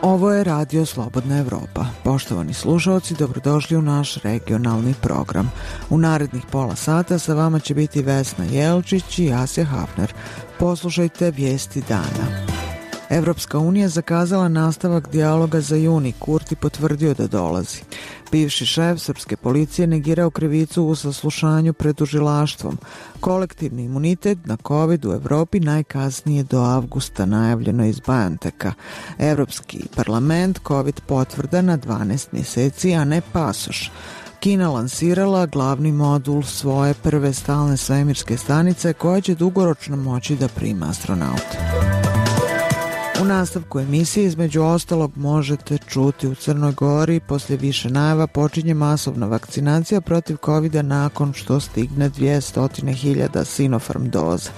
Ovo je Radio Slobodna Evropa. Poštovani slušalci, dobrodošli u naš regionalni program. U narednih pola sata sa vama će biti Vesna Jelčić i Asja Hafner. Poslušajte vijesti dana. Evropska unija zakazala nastavak dijaloga za juni. Kurti potvrdio da dolazi. Bivši šef srpske policije negirao krivicu u saslušanju pred tužilaštvom. Kolektivni imunitet na COVID u Evropi najkasnije do avgusta, najavljeno iz BioNTecha. Evropski parlament COVID potvrda na 12 mjeseci, a ne pasoš. Kina lansirala glavni modul svoje prve stalne svemirske stanice koja će dugoročno moći da prima astronaute. U nastavku emisije između ostalog možete čuti u Crnoj Gori poslije više najava počinje masovna vakcinacija protiv COVID-a nakon što stigne 200.000 Sinopharm doza.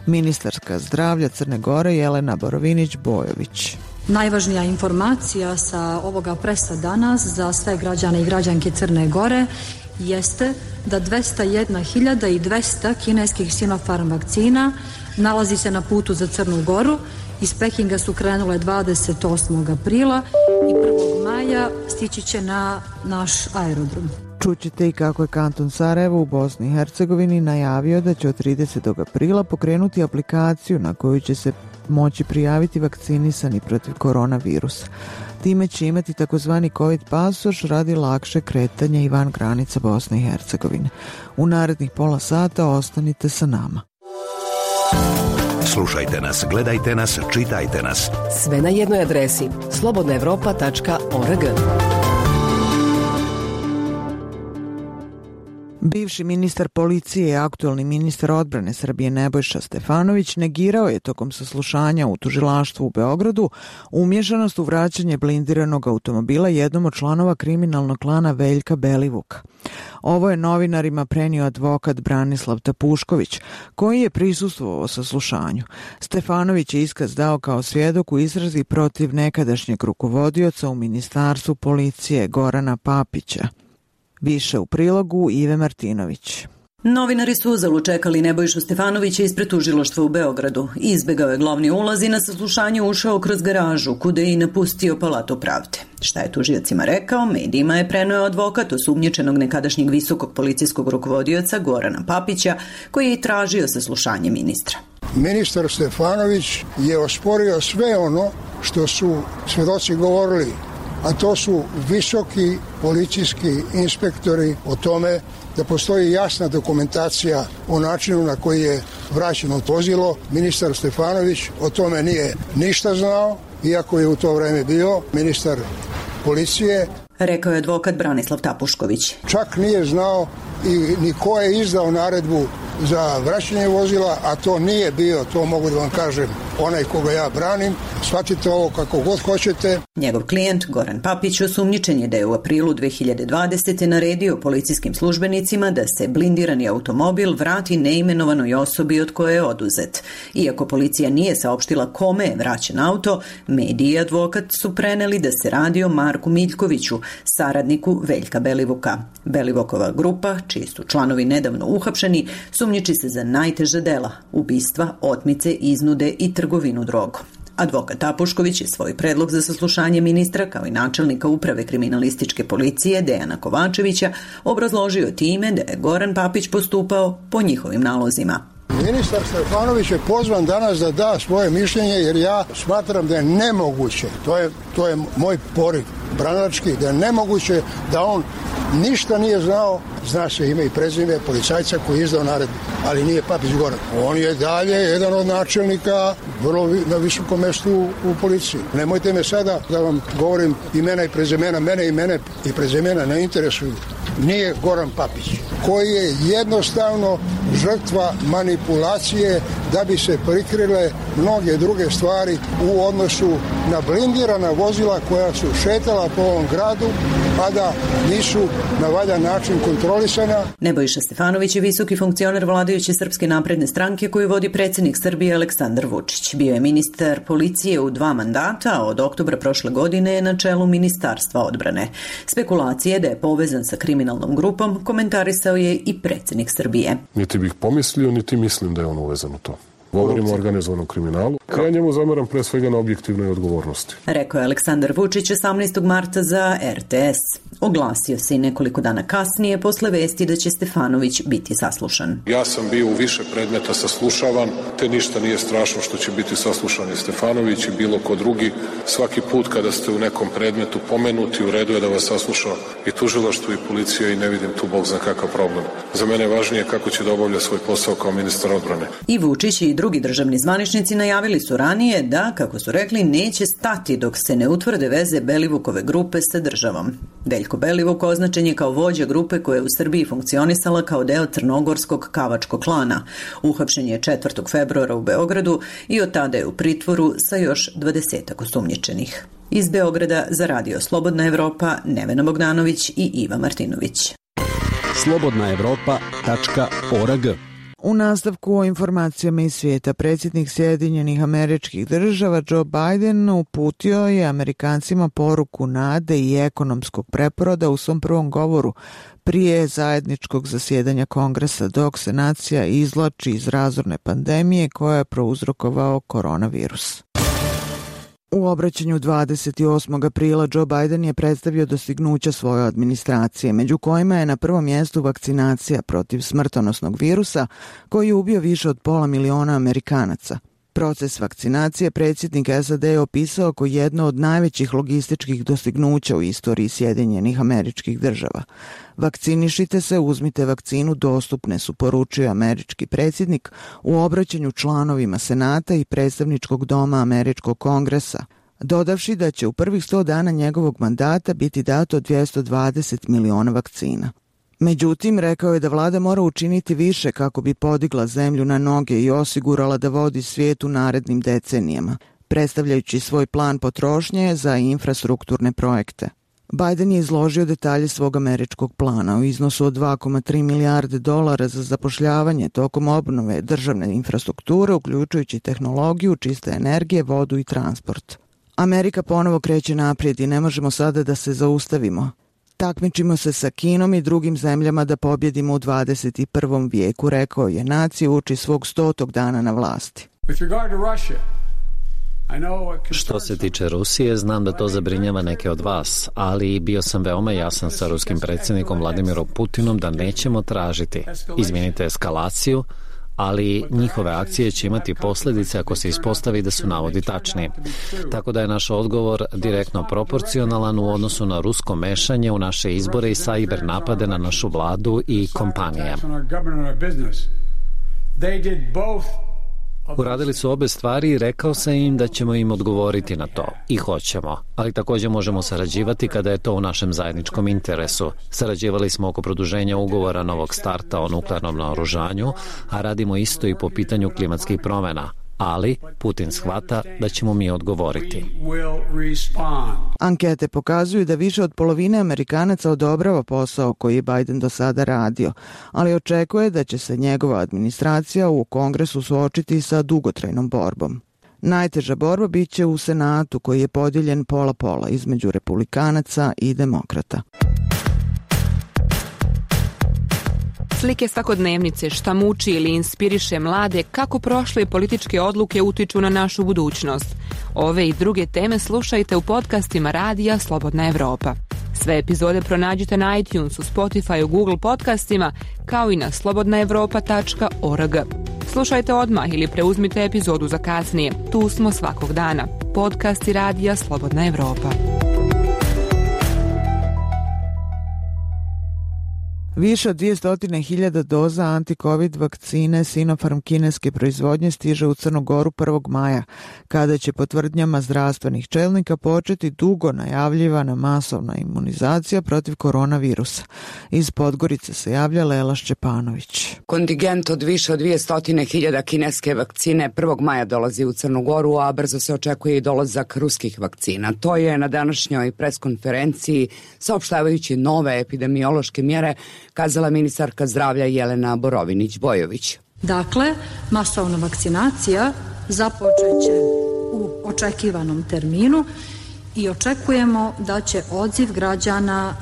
Ministarka zdravlja Crne Gore Jelena Borovinić-Bojović. Najvažnija informacija sa ovoga presa danas za sve građane i građanke Crne Gore jeste da 201.200 kineskih Sinopharm vakcina nalazi se na putu za Crnu Goru. Iz Pekinga su krenule 28. aprila i 1. maja stići će na naš aerodrom. Čućete i kako je kanton Sarajevo u Bosni i Hercegovini najavio da će od 30. aprila pokrenuti aplikaciju na koju će se moći prijaviti vakcinisani protiv koronavirusa. Time će imati takozvani COVID pasoš radi lakše kretanja i van granica Bosne i Hercegovine. U narednih pola sata ostanite sa nama. Slušajte nas, gledajte nas, čitajte nas. Sve na jednoj adresi slobodnaevropa.org. Bivši ministar policije i aktuelni ministar odbrane Srbije Nebojša Stefanović negirao je tokom saslušanja u tužilaštvu u Beogradu umješanost u vraćanje blindiranog automobila jednom od članova kriminalnog klana Veljka Belivuka. Ovo je novinarima prenio advokat Branislav Tapušković, koji je prisustvovao saslušanju. Stefanović je iskaz dao kao svjedok u istrazi protiv nekadašnjeg rukovodioca u ministarstvu policije Gorana Papića. Više u prilogu Ive Martinović. Novinari su uzalud čekali Nebojšu Stefanovića ispred tužilaštva u Beogradu. Izbegao je glavni ulaz i na saslušanje ušao kroz garažu, kuda je i napustio Palatu pravde. Šta je tužiocima rekao, medijima je preneo advokat osumnjičenog nekadašnjeg visokog policijskog rukovodioca Gorana Papića, koji je i tražio saslušanje ministra. Ministar Stefanović je osporio sve ono što su svedoci govorili, a to su visoki policijski inspektori o tome da postoji jasna dokumentacija o načinu na koji je vraćeno vozilo. Ministar Stefanović o tome nije ništa znao, iako je u to vreme bio ministar policije. Rekao je advokat Branislav Tapušković. Čak nije znao i ni ko je izdao naredbu za vraćanje vozila, a to nije bio, to mogu da vam kažem, onaj koga ja branim. Shvatite ovo kako god hoćete. Njegov klijent Goran Papić osumnjičen je da je u aprilu 2020. naredio policijskim službenicima da se blindirani automobil vrati neimenovanoj osobi od koje je oduzet. Iako policija nije saopštila kome je vraćen auto, mediji i advokat su preneli da se radi o Marku Miljkoviću, saradniku Veljka Belivuka. Belivukova grupa, čiji su članovi nedavno uhapšeni, sumnjiči se za najteža dela, ubistva, otmice, iznude i trgovinu drogom. Advokat Tapušković je svoj predlog za saslušanje ministra kao i načelnika uprave kriminalističke policije Dejana Kovačevića obrazložio time da je Goran Papić postupao po njihovim nalozima. Ministar Stefanović je pozvan danas da da svoje mišljenje jer ja smatram da je nemoguće, to je moj poriv branački, da je nemoguće da on ništa nije znao, zna se ime i prezime policajca koji je izdao naredbu, ali nije Papić Goran. On je dalje jedan od načelnika vrlo na visokom mjestu u policiji. Nemojte me sada da vam govorim imena i prezimena, mene imena i prezimena ne interesuju. Nije Goran Papić, koji je jednostavno žrtva manipulacije da bi se prikrile mnoge druge stvari u odnosu na blindirana vozila koja su šetala po ovom gradu, a da nisu na valjan način kontrolisana. Nebojša Stefanović je visoki funkcioner vladajuće Srpske napredne stranke koju vodi predsjednik Srbije Aleksandar Vučić. Bio je ministar policije u 2 mandata, a od oktobra prošle godine je na čelu Ministarstva odbrane. Spekulacije da je povezan sa kriminalnom grupom komentarisao je i predsjednik Srbije. Niti bih pomislio, niti mislim da je on uvezan u to. Govorimo o organizovanom kriminalu. Ja njemu zameram pre svega na objektivnoj odgovornosti. Rekao je Aleksandar Vučić 18. marta za RTS. Oglasio se i nekoliko dana kasnije posle vesti da će Stefanović biti saslušan. Ja sam bio u više predmeta saslušavan, te ništa nije strašno što će biti saslušan i Stefanović i bilo ko drugi. Svaki put kada ste u nekom predmetu pomenuti, u redu je da vas sasluša i tužilaštvo i policija i ne vidim tu bog zna kakav problem. Za mene je važnije kako će da obavlja svoj posao kao ministar odbrane. I Vučić i drugi državni zvaničnici najavili su ranije da, kako su rekli, neće stati dok se ne utvrde veze Belivukove grupe sa državom. Veljko Belivuk označen je kao vođa grupe koja je u Srbiji funkcionisala kao deo crnogorskog kavačkog klana. Uhapšen je 4. februara u Beogradu i od tada je u pritvoru sa još 20 osumnjičenih. Iz Beograda za Radio Slobodna Evropa Nevena Bogdanović i Iva Martinović. slobodnaevropa.org. U nastavku o informacijama iz svijeta, predsjednik Sjedinjenih Američkih Država Joe Biden uputio je Amerikancima poruku nade i ekonomskog preporoda u svom prvom govoru prije zajedničkog zasjedanja Kongresa dok se nacija izvlači iz razorne pandemije koja je prouzrokovao koronavirus. U obraćanju 28. aprila Joe Biden je predstavio dostignuća svoje administracije, među kojima je na prvom mjestu vakcinacija protiv smrtonosnog virusa koji je ubio više od 500.000 Amerikanaca. Proces vakcinacije predsjednik SAD je opisao kao jedno od najvećih logističkih dostignuća u istoriji Sjedinjenih Američkih Država. Vakcinišite se, uzmite vakcinu, dostupne su, poručio američki predsjednik u obraćanju članovima Senata i predstavničkog doma Američkog kongresa, dodavši da će u prvih 100 dana njegovog mandata biti dato 220 miliona vakcina. Međutim, rekao je da vlada mora učiniti više kako bi podigla zemlju na noge i osigurala da vodi svijet u narednim decenijama, predstavljajući svoj plan potrošnje za infrastrukturne projekte. Biden je izložio detalje svog američkog plana u iznosu od 2,3 milijarde dolara za zapošljavanje tokom obnove državne infrastrukture, uključujući tehnologiju, čiste energije, vodu i transport. Amerika ponovo kreće naprijed i ne možemo sada da se zaustavimo. Takmičimo se sa Kinom i drugim zemljama da pobjedimo u 21. vijeku, rekao je. Nacija uči svog 100. dana na vlasti. Što se tiče Rusije, znam da to zabrinjava neke od vas, ali bio sam veoma jasan sa ruskim predsjednikom Vladimirom Putinom da nećemo tražiti, izvinite, eskalaciju, ali njihove akcije će imati posljedice ako se ispostavi da su navodi tačni. Tako da je naš odgovor direktno proporcionalan u odnosu na rusko mešanje u naše izbore i sajber napade na našu vladu i kompanije. Uradili su obe stvari i rekao sam im da ćemo im odgovoriti na to. I hoćemo. Ali također možemo sarađivati kada je to u našem zajedničkom interesu. Sarađivali smo oko produženja ugovora novog starta o nuklearnom naoružanju, a radimo isto i po pitanju klimatskih promjena. Ali Putin shvata da ćemo mi odgovoriti. Ankete pokazuju da više od polovine Amerikanaca odobrava posao koji je Biden do sada radio, ali očekuje da će se njegova administracija u Kongresu suočiti sa dugotrajnom borbom. Najteža borba bit će u Senatu koji je podijeljen pola-pola između republikanaca i demokrata. Slike svakodnevnice, šta muči ili inspiriše mlade, kako prošle političke odluke utiču na našu budućnost. Ove i druge teme slušajte u podcastima Radija Slobodna Evropa. Sve epizode pronađite na iTunesu, Spotifyu, Google podcastima, kao i na slobodnaevropa.org. Slušajte odmah ili preuzmite epizodu za kasnije. Tu smo svakog dana. Podcasti Radija Slobodna Evropa. Više od 200.000 doza anti-covid vakcine Sinopharm kineske proizvodnje stiže u Crnu Goru 1. maja, kada će po tvrdnjama zdravstvenih čelnika početi dugo najavljivana masovna imunizacija protiv koronavirusa. Iz Podgorice se javlja Lela Šćepanović. Kontingent od više od 200.000 kineske vakcine 1. maja dolazi u Crnu Goru, a brzo se očekuje i dolazak ruskih vakcina. To je na današnjoj preskonferenciji, saopštavajući nove epidemiološke mjere, kazala ministarka zdravlja Jelena Borovinić-Bojović. Dakle, masovna vakcinacija započeće u očekivanom terminu i očekujemo da će odziv građana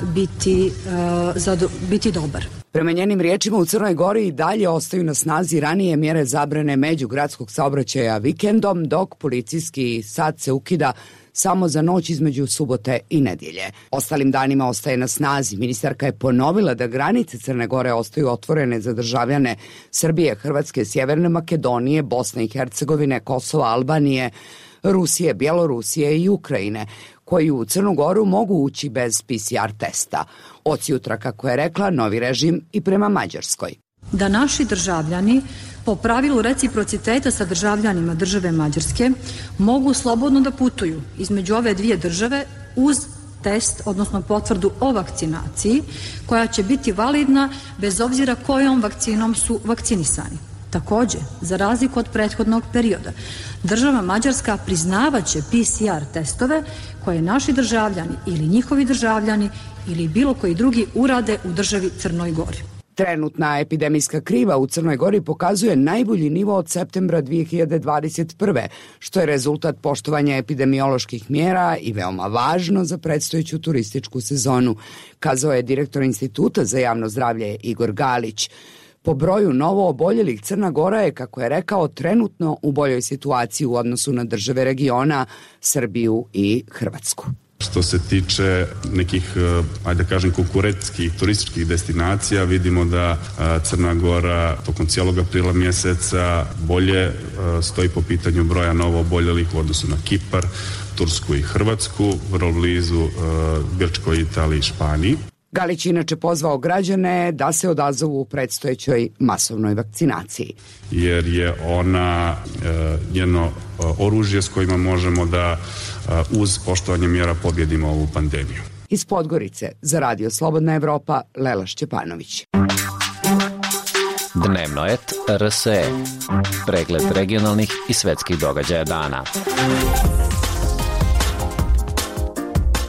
biti dobar. Prema njenim riječima, u Crnoj Gori i dalje ostaju na snazi ranije mjere zabrane međugradskog saobraćaja vikendom, dok policijski sat se ukida samo za noć između subote i nedjelje. Ostalim danima ostaje na snazi. Ministarka je ponovila da granice Crne Gore ostaju otvorene za državljane Srbije, Hrvatske, Sjeverne Makedonije, Bosne i Hercegovine, Kosova, Albanije, Rusije, Bjelorusije i Ukrajine, koji u Crnu Goru mogu ući bez PCR testa. Od jutra, kako je rekla, novi režim i prema Mađarskoj. Da naši državljani po pravilu reciprociteta sa državljanima države Mađarske mogu slobodno da putuju između ove dvije države uz test, odnosno potvrdu o vakcinaciji, koja će biti validna bez obzira kojom vakcinom su vakcinisani. Također, za razliku od prethodnog perioda, država Mađarska priznavaće PCR testove koje naši državljani ili njihovi državljani ili bilo koji drugi urade u državi Crnoj Gori. Trenutna epidemijska kriva u Crnoj Gori pokazuje najbolji nivo od septembra 2021. što je rezultat poštovanja epidemioloških mjera i veoma važno za predstojeću turističku sezonu, kazao je direktor Instituta za javno zdravlje Igor Galić. Po broju novo oboljelih Crna Gora je, kako je rekao, trenutno u boljoj situaciji u odnosu na države regiona, Srbiju i Hrvatsku. Što se tiče nekih, ajde da kažem, konkurentskih turističkih destinacija, vidimo da Crna Gora tokom cijelog aprila mjeseca bolje stoji po pitanju broja novo oboljelih u odnosu na Kipar, Tursku i Hrvatsku, vrlo blizu Grčkoj, Italiji i Španiji. Galić inače pozvao građane da se odazovu u predstojećoj masovnoj vakcinaciji. Jer je ona jedno oružje s kojima možemo da uz poštovanje mjera pobjedimo ovu pandemiju. Iz Podgorice za Radio Slobodna Evropa, Lela Šćepanović. Dnevno et RSE. Pregled regionalnih i svetskih događaja dana.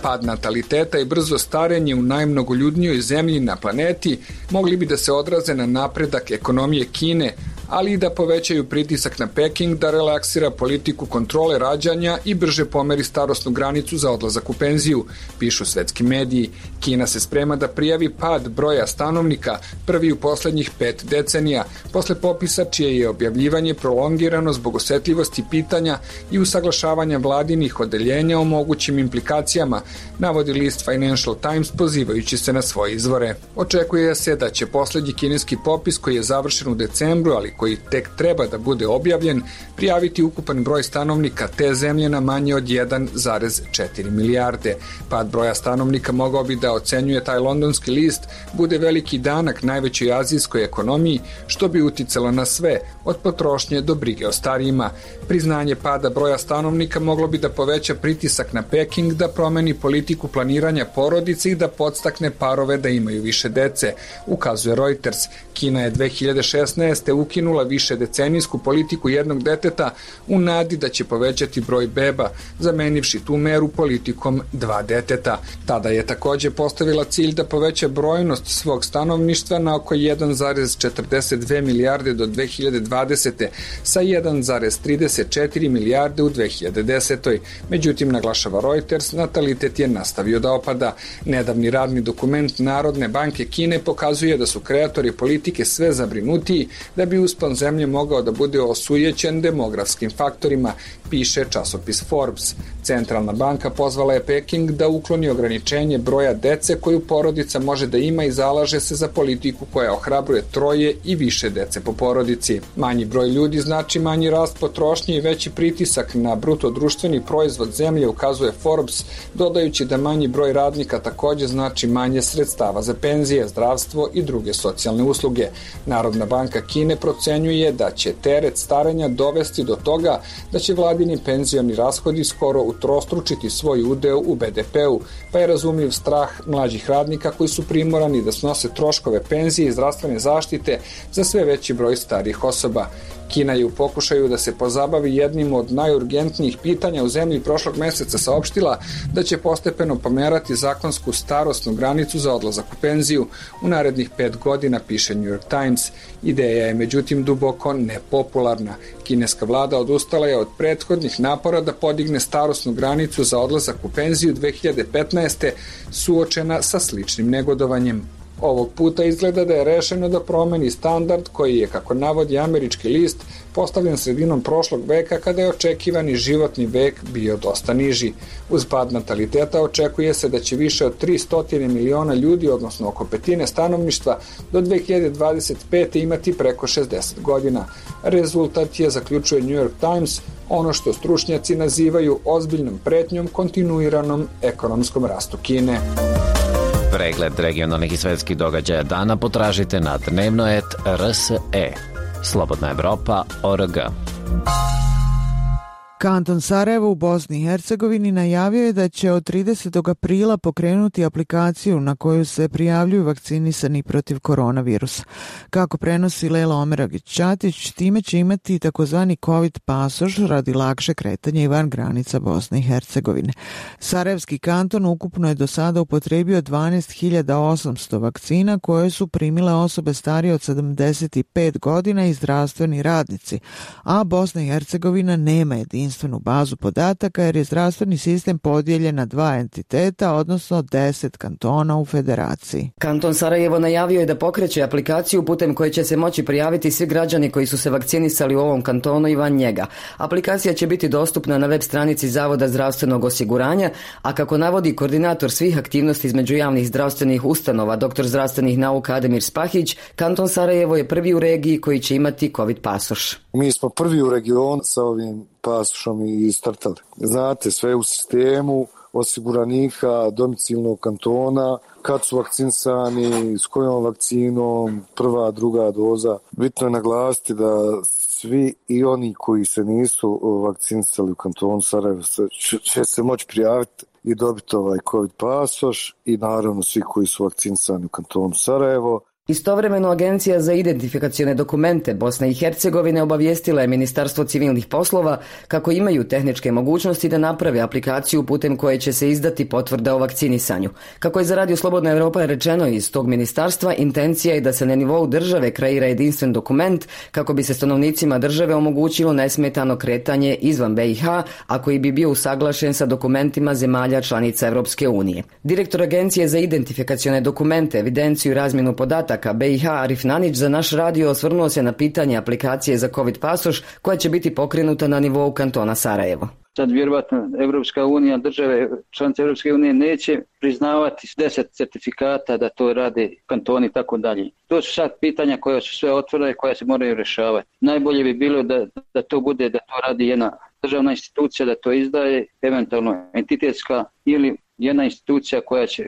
Pad nataliteta i brzo starenje u najmnogoljudnijoj zemlji na planeti mogli bi da se odraze na napredak ekonomije Kine, ali i da povećaju pritisak na Peking da relaksira politiku kontrole rađanja i brže pomeri starosnu granicu za odlazak u penziju, pišu svetski mediji. Kina se sprema da prijavi pad broja stanovnika, prvi u poslednjih 5 decenija, posle popisa čije je objavljivanje prolongirano zbog osetljivosti pitanja i usaglašavanja vladinih odeljenja o mogućim implikacijama, navodi list Financial Times pozivajući se na svoje izvore. Očekuje se da će poslednji kineski popis, koji je završen u decembru, ali koji tek treba da bude objavljen, prijaviti ukupan broj stanovnika te zemlje na manje od 1,4 milijarde. Pad broja stanovnika mogao bi da, ocenjuje taj londonski list, bude veliki danak najvećoj azijskoj ekonomiji, što bi uticalo na sve, od potrošnje do brige o starijima. Priznanje pada broja stanovnika moglo bi da poveća pritisak na Peking da promeni politiku planiranja porodice i da podstakne parove da imaju više dece, ukazuje Reuters. Kina je 2016. ukinula više decenijsku politiku jednog deteta u nadi da će povećati broj beba, zamenivši tu meru politikom 2 deteta. Tada je također postavila cilj da poveća brojnost svog stanovništva na oko 1,42 milijarde do 2020. sa 1,34 milijarde u 2010. Međutim, naglašava Reuters, natalitet je nastavio da opada. Nedavni radni dokument Narodne banke Kine pokazuje da su kreatori politike sve zabrinutiji da bi uspeli raston zemlje mogao da bude osujećen demografskim faktorima, piše časopis Forbes. Centralna banka pozvala je Peking da ukloni ograničenje broja dece koju porodica može da ima i zalaže se za politiku koja ohrabruje 3 i više dece po porodici. Manji broj ljudi znači manji rast potrošnje i veći pritisak na bruto društveni proizvod zemlje, ukazuje Forbes, dodajući da manji broj radnika takođe znači manje sredstava za penzije, zdravstvo i druge socijalne usluge. Narodna banka Kine procenjuje da će teret starenja dovesti do toga da će vladini penzioni rashodi skoro utrostručiti svoj udeo u BDP-u, pa je razumljiv strah mlađih radnika koji su primorani da snose troškove penzije i zdravstvene zaštite za sve veći broj starijih osoba. Kina je u pokušaju da se pozabavi jednim od najurgentnijih pitanja u zemlji prošlog meseca saopštila da će postepeno pomerati zakonsku starosnu granicu za odlazak u penziju u narednih 5 godina, piše New York Times. Ideja je međutim duboko nepopularna. Kineska vlada odustala je od prethodnih napora da podigne starosnu granicu za odlazak u penziju 2015. suočena sa sličnim negodovanjem. Ovog puta izgleda da je rešeno da promeni standard koji je, kako navodi američki list, postavljen sredinom prošlog veka kada je očekivani životni vek bio dosta niži. Uz pad nataliteta očekuje se da će više od 300 miliona ljudi, odnosno oko petine stanovništva, do 2025. imati preko 60 godina. Rezultat je, zaključuje New York Times, ono što stručnjaci nazivaju ozbiljnom pretnjom kontinuiranom ekonomskom rastu Kine. Pregled regionalnih i svetskih događaja dana potražite na dnevnoet.rs.e. Slobodna Evropa.org. Kanton Sarajevo u Bosni i Hercegovini najavio je da će od 30. aprila pokrenuti aplikaciju na koju se prijavljuju vakcinisani protiv koronavirusa. Kako prenosi Lela Omeragić-Ćatić, time će imati takozvani COVID pasoš radi lakše kretanja i van granica Bosne i Hercegovine. Sarajevski kanton ukupno je do sada upotrebio 12.800 vakcina koje su primile osobe starije od 75 godina i zdravstveni radnici, a Bosna i Hercegovina nema jedinstvenu bazu podataka jer je zdravstveni sistem podijeljen na 2 entiteta, odnosno 10 kantona u federaciji. Kanton Sarajevo najavio je da pokreće aplikaciju putem koje će se moći prijaviti svi građani koji su se vakcinisali u ovom kantonu i van njega. Aplikacija će biti dostupna na web stranici Zavoda zdravstvenog osiguranja, a kako navodi koordinator svih aktivnosti između javnih zdravstvenih ustanova, doktor zdravstvenih nauka Ademir Spahić, kanton Sarajevo je prvi u regiji koji će imati COVID pasoš. Mi smo prvi u regionu sa ovim pasošom i startali. Znate, sve u sistemu osiguranika domicilnog kantona, kad su vakcinisani, s kojom vakcinom, prva, druga doza. Bitno je naglasiti da svi i oni koji se nisu vakcinisali u kantonu Sarajevo će se moći prijaviti i dobiti ovaj COVID pasoš i naravno svi koji su vakcinisani u kantonu Sarajevo. Istovremeno Agencija za identifikacione dokumente Bosne i Hercegovine obavijestila je Ministarstvo civilnih poslova kako imaju tehničke mogućnosti da naprave aplikaciju putem koje će se izdati potvrda o vakcinisanju. Kako je za Radio Slobodna Evropa rečeno iz tog ministarstva, intencija je da se na nivou države kreira jedinstven dokument kako bi se stanovnicima države omogućilo nesmetano kretanje izvan BiH, a koji bi bio usaglašen sa dokumentima zemalja članica Evropske unije. Direktor Agencije za identifikacione dokumente, evidenciju i razmjenu podataka BiH Arif Nanić za naš radio osvrnuo se na pitanje aplikacije za COVID pasoš koja će biti pokrenuta na nivou kantona Sarajevo. Sad vjerovatno Evropska unija, države članice Evropske unije neće priznavati 10 certifikata da to rade kantoni i tako dalje. To su sad pitanja koja su sve otvorene i koja se moraju rješavati. Najbolje bi bilo da to bude, da to radi jedna državna institucija, da to izdaje, eventualno entitetska ili jedna institucija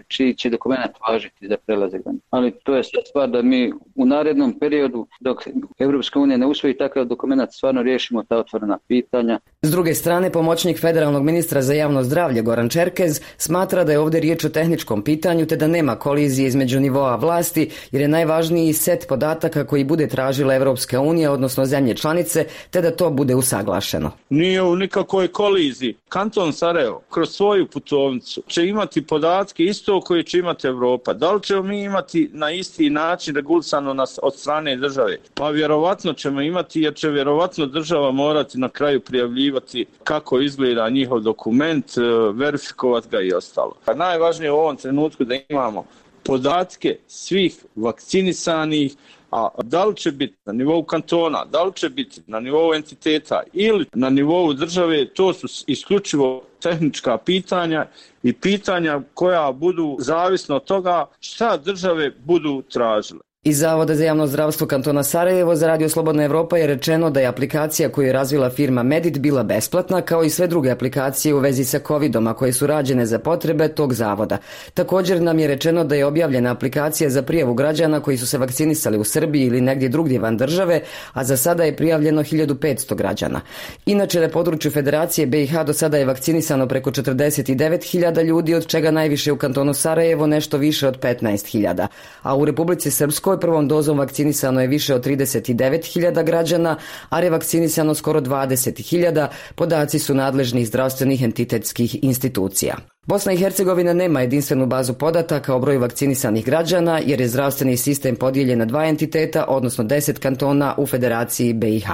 čiji će dokument važiti za prelazak. Ali to je stvar da mi u narednom periodu, dok Evropska unija ne usvoji takav dokument, stvarno riješimo ta otvorena pitanja. S druge strane, pomoćnik federalnog ministra za javno zdravlje Goran Čerkez smatra da je ovdje riječ o tehničkom pitanju te da nema kolizije između nivoa vlasti jer je najvažniji set podataka koji bude tražila Evropska unija, odnosno zemlje članice, te da to bude usaglašeno. Nije u nikakvoj koliziji. Kanton Sarajevo kroz svoju putovnicu će imati podatke isto koje će imati Evropa. Da li ćemo mi imati na isti način regulisano od strane države? Pa vjerovatno ćemo imati jer će vjerovatno država morati na kraju prijavljivati kako izgleda njihov dokument, verifikovati ga i ostalo. A najvažnije u ovom trenutku da imamo podatke svih vakcinisanih, A da li će biti na nivou kantona, da li će biti na nivou entiteta ili na nivou države, to su isključivo tehnička pitanja i pitanja koja budu zavisno od toga šta države budu tražile. Iz Zavoda za javno zdravstvo kantona Sarajevo za Radio Slobodna Evropa je rečeno da je aplikacija koju je razvila firma Medit bila besplatna, kao i sve druge aplikacije u vezi sa COVID-om, a koje su rađene za potrebe tog zavoda. Također nam je rečeno da je objavljena aplikacija za prijavu građana koji su se vakcinisali u Srbiji ili negdje drugdje van države, a za sada je prijavljeno 1500 građana. Inače, na području Federacije BiH do sada je vakcinisano preko 49.000 ljudi, od čega najviše u kantonu Sarajevo nešto više od 15.000, a u Republici Srpskoj prvom dozom vakcinisano je više od 39.000 građana, a revakcinisano skoro 20.000, podaci su nadležnih zdravstvenih entitetskih institucija. Bosna i Hercegovina nema jedinstvenu bazu podataka o broju vakcinisanih građana jer je zdravstveni sistem podijeljen na 2 entiteta, odnosno 10 kantona u Federaciji BiH.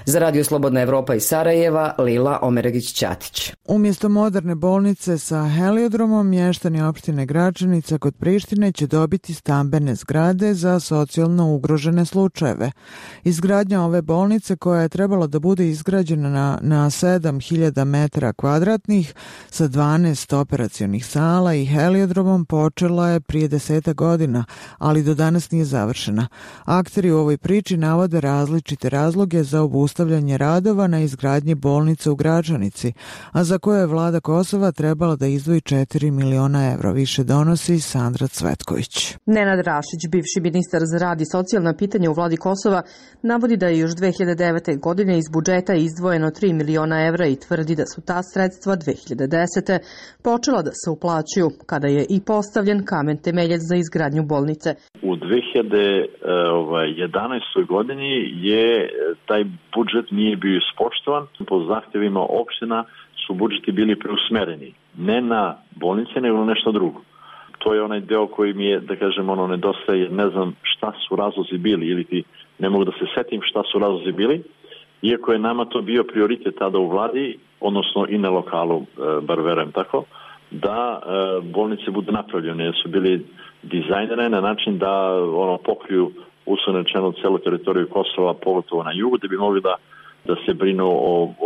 Za Radio Slobodna Evropa iz Sarajeva, Lila Omeregić-Ćatić. Umjesto moderne bolnice sa heliodromom, mještani opštine Gračanica kod Prištine će dobiti stambene zgrade za socijalno ugrožene slučajeve. Izgradnja ove bolnice, koja je trebala da bude izgrađena na 7.000 metara kvadratnih sa 12 operacionih sala i heliodromom, počela je prije 10 godina, ali do danas nije završena. Akteri u ovoj priči navode različite razloge za obustavljanje radova na izgradnji bolnice u Gračanici, a za koje je vlada Kosova trebala da izdvoji 4 miliona evra. Više donosi Sandra Cvetković. Nenad Rašić, bivši ministar za rad i socijalna pitanja u vladi Kosova, navodi da je još 2009. godine iz budžeta izdvojeno 3 miliona evra i tvrdi da su ta sredstva 2010. počela da se uplaćuju, kada je i postavljen kamen temeljac za izgradnju bolnice. U 2011. godini je taj budžet nije bio ispoštovan. Po zahtjevima opština su budžeti bili preusmereni. Ne na bolnice, nego na nešto drugo. To je onaj deo koji mi je, da kažem, nedostaje. Ne znam šta su razlozi bili ili ti ne mogu da se setim šta su razlozi bili. Iako je nama to bio prioritet tada u vladi, odnosno i na lokalu, bar verujem tako, da bolnice budu napravljene. Su bili dizajnere na način da pokriju uslovno rečeno celu teritoriju Kosova, pogotovo na jugu, da bi mogli da se brinu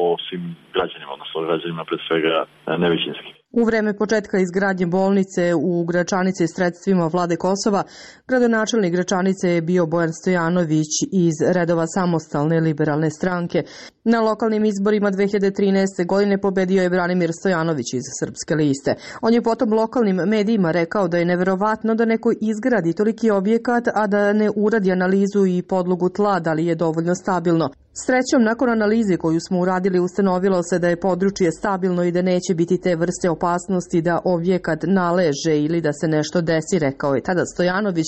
o svim građanima, odnosno građanima pred svega nevećinski. U vreme početka izgradnje bolnice u Gračanici sredstvima vlade Kosova, gradonačelnik Gračanice je bio Bojan Stojanović iz redova Samostalne liberalne stranke. Na lokalnim izborima 2013. godine pobedio je Branimir Stojanović iz Srpske liste. On je potom lokalnim medijima rekao da je neverovatno da neko izgradi toliki objekat, a da ne uradi analizu i podlogu tla, da li je dovoljno stabilno. Srećom, nakon analize koju smo uradili, ustanovilo se da je područje stabilno i da neće biti te vrste opasnosti da objekat naleže ili da se nešto desi, rekao je tada Stojanović,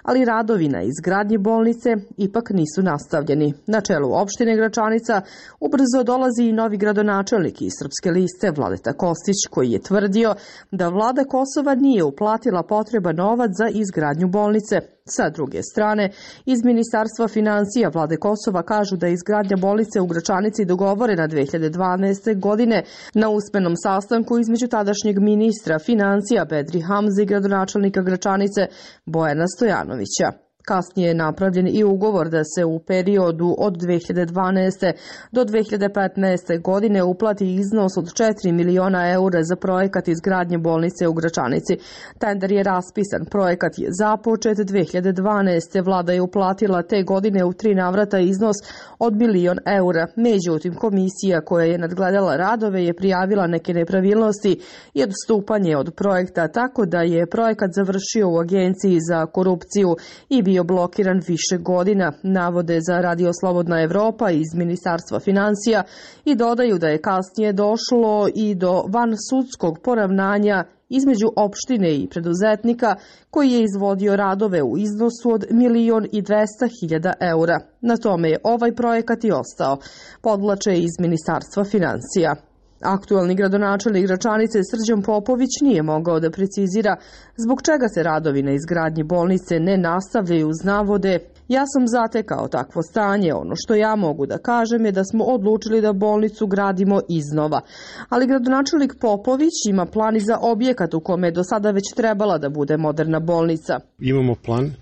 ali radovi na izgradnji bolnice ipak nisu nastavljeni. Na čelu opštine Gračanica ubrzo dolazi i novi gradonačelnik iz Srpske liste, Vladeta Kostić, koji je tvrdio da vlada Kosova nije uplatila potreban novac za izgradnju bolnice. Sa druge strane, iz Ministarstva financija vlade Kosova kažu da je izgradnja bolnice u Gračanici dogovorena 2012. godine na usmenom sastanku između tadašnjeg ministra financija Bedri Hamze i gradonačelnika Gračanice Bojana Stojanovića. Kasnije je napravljen i ugovor da se u periodu od 2012. do 2015. godine uplati iznos od 4 miliona eura za projekat izgradnje bolnice u Gračanici. Tender je raspisan, projekat je započet 2012. Vlada je uplatila te godine u 3 navrata iznos od 1 milion eura. Međutim, komisija koja je nadgledala radove je prijavila neke nepravilnosti i odstupanje od projekta, tako da je projekat završio u Agenciji za korupciju i bio blokiran više godina, navode za Radio Slobodna Evropa iz Ministarstva financija i dodaju da je kasnije došlo i do vansudskog poravnanja između opštine i preduzetnika koji je izvodio radove u iznosu od 1.200.000 eura. Na tome je ovaj projekat i ostao, podvlače iz Ministarstva financija. Aktualni gradonačelnik Gračanice Srđan Popović nije mogao da precizira zbog čega se radovi na izgradnji bolnice ne nastavljaju uz navode: ja sam zatekao takvo stanje, ono što ja mogu da kažem je da smo odlučili da bolnicu gradimo iznova. Ali gradonačelnik Popović ima plan i za objekat u kome je do sada već trebala da bude moderna bolnica. Imamo plan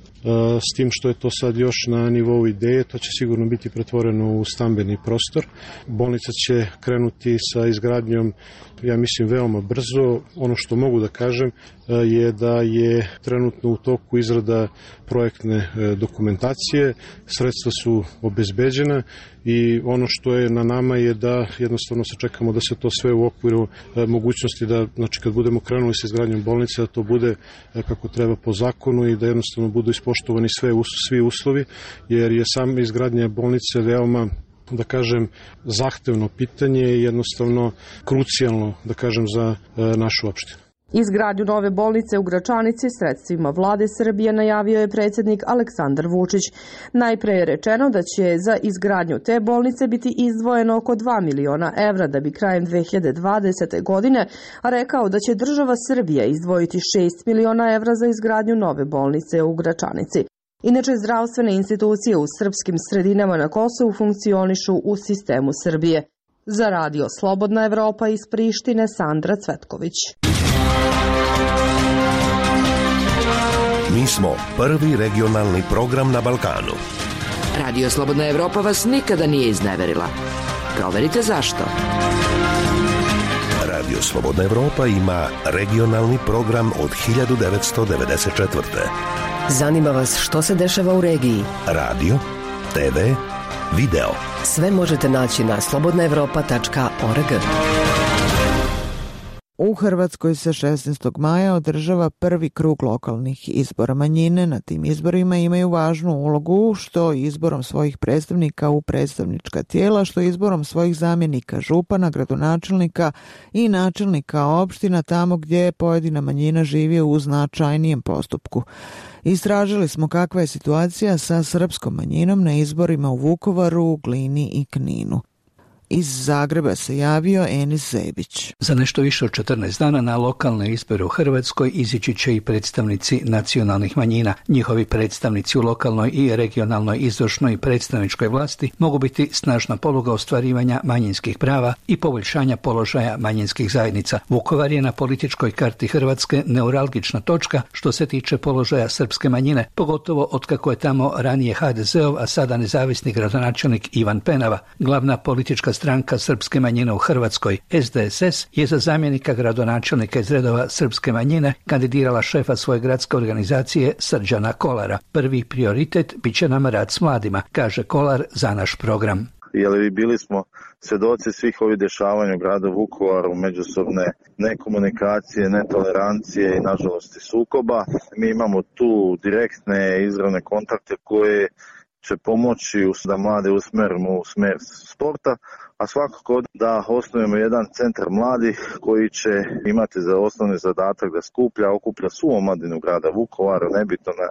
s tim što je to sad još na nivou ideje, to će sigurno biti pretvoreno u stambeni prostor. Bolnica će krenuti sa izgradnjom, ja mislim, veoma brzo. Ono što mogu da kažem je da je trenutno u toku izrada projektne dokumentacije, sredstva su obezbeđena i ono što je na nama je da jednostavno sačekamo da se to sve u okviru mogućnosti da, znači kad budemo krenuli sa izgradnjom bolnice, da to bude kako treba po zakonu i da jednostavno budu ispoštovani svi uslovi, jer je sam izgradnja bolnice veoma, da kažem, zahtevno pitanje i jednostavno krucijalno, da kažem, za našu opštinu. Izgradnju nove bolnice u Gračanici sredstvima vlade Srbije najavio je predsjednik Aleksandar Vučić. Najpre je rečeno da će za izgradnju te bolnice biti izdvojeno oko 2 miliona evra, da bi krajem 2020. godine rekao da će država Srbija izdvojiti 6 miliona evra za izgradnju nove bolnice u Gračanici. Inače, zdravstvene institucije u srpskim sredinama na Kosovu funkcionišu u sistemu Srbije. Za Radio Slobodna Evropa iz Prištine, Sandra Cvetković. Mi smo prvi regionalni program na Balkanu. Radio Slobodna Evropa vas nikada nije izneverila. Proverite zašto. Radio Slobodna Evropa ima regionalni program od 1994. Zanima vas što se dešava u regiji? Radio, TV, video. Sve možete naći na slobodnaevropa.org. U Hrvatskoj se 16. maja održava prvi krug lokalnih izbora. Manjine na tim izborima imaju važnu ulogu, što izborom svojih predstavnika u predstavnička tijela, što izborom svojih zamjenika župana, gradonačelnika i načelnika opština tamo gdje pojedina manjina živi u značajnijem postupku. Istražili smo kakva je situacija sa srpskom manjinom na izborima u Vukovaru, Glini i Kninu. Iz Zagreba se javio Enis Zebić. Za nešto više od 14 dana na lokalne izbore u Hrvatskoj izići će i predstavnici nacionalnih manjina. Njihovi predstavnici u lokalnoj i regionalnoj izvršnoj i predstavničkoj vlasti mogu biti snažna poluga ostvarivanja manjinskih prava i poboljšanja položaja manjinskih zajednica. Vukovar je na političkoj karti Hrvatske neuralgična točka što se tiče položaja srpske manjine, pogotovo otkako je tamo ranije HDZ-ov, a sada nezavisni gradonačelnik Ivan Penava. Glavna politička stranka srpske manjine u Hrvatskoj, SDSS, je za zamjenika gradonačelnika iz redova srpske manjine kandidirala šefa svoje gradske organizacije Srđana Kolara. Prvi prioritet bit će nam rad s mladima, kaže Kolar za naš program. Jer bili smo svjedoci svih ovih dešavanja u gradu Vukovaru, međusobne nekomunikacije, netolerancije i nažalost sukoba. Mi imamo tu direktne izravne kontakte koje će pomoći da mlade usmerimo u smer sporta, a svakako da osnujemo jedan centar mladih koji će imati za osnovni zadatak da okuplja svu omladinu grada Vukovara, nebitno na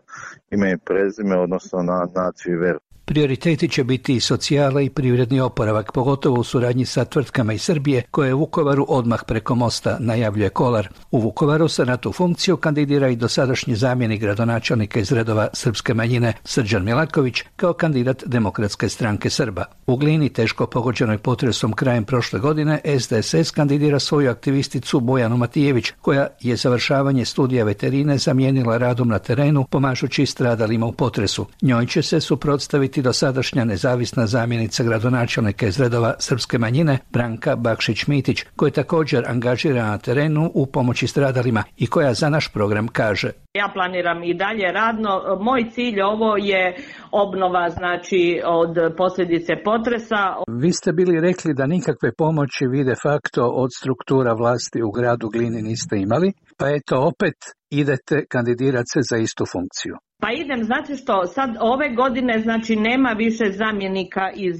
ime i prezime, odnosno na naciju i veru. Prioriteti će biti i socijala i privredni oporavak, pogotovo u suradnji sa tvrtkama iz Srbije, koje u Vukovaru odmah preko mosta, najavljuje Kolar. U Vukovaru se na tu funkciju kandidira i dosadašnji zamjenik gradonačelnika iz redova srpske manjine Srđan Milaković kao kandidat Demokratske stranke Srba. U Glini, teško pogođenoj potresom krajem prošle godine, SDSS kandidira svoju aktivisticu Bojanu Matijević, koja je završavanje studija veterine zamijenila radom na terenu, pomažući stradalima u potresu. Njoj će se suprotstaviti dosadašnja nezavisna zamjenica gradonačelnika iz redova srpske manjine Branka Bakšić-Mitić, koja je također angažirana na terenu u pomoći stradalima i koja za naš program kaže: Ja planiram i dalje radno. Moj cilj ovo je obnova, znači, od posljedice potresa. Vi ste bili rekli da nikakve pomoći vi de facto od struktura vlasti u gradu Glini niste imali, pa eto opet idete kandidirati se za istu funkciju. Pa idem, znate što, sad ove godine, znači, nema više zamjenika iz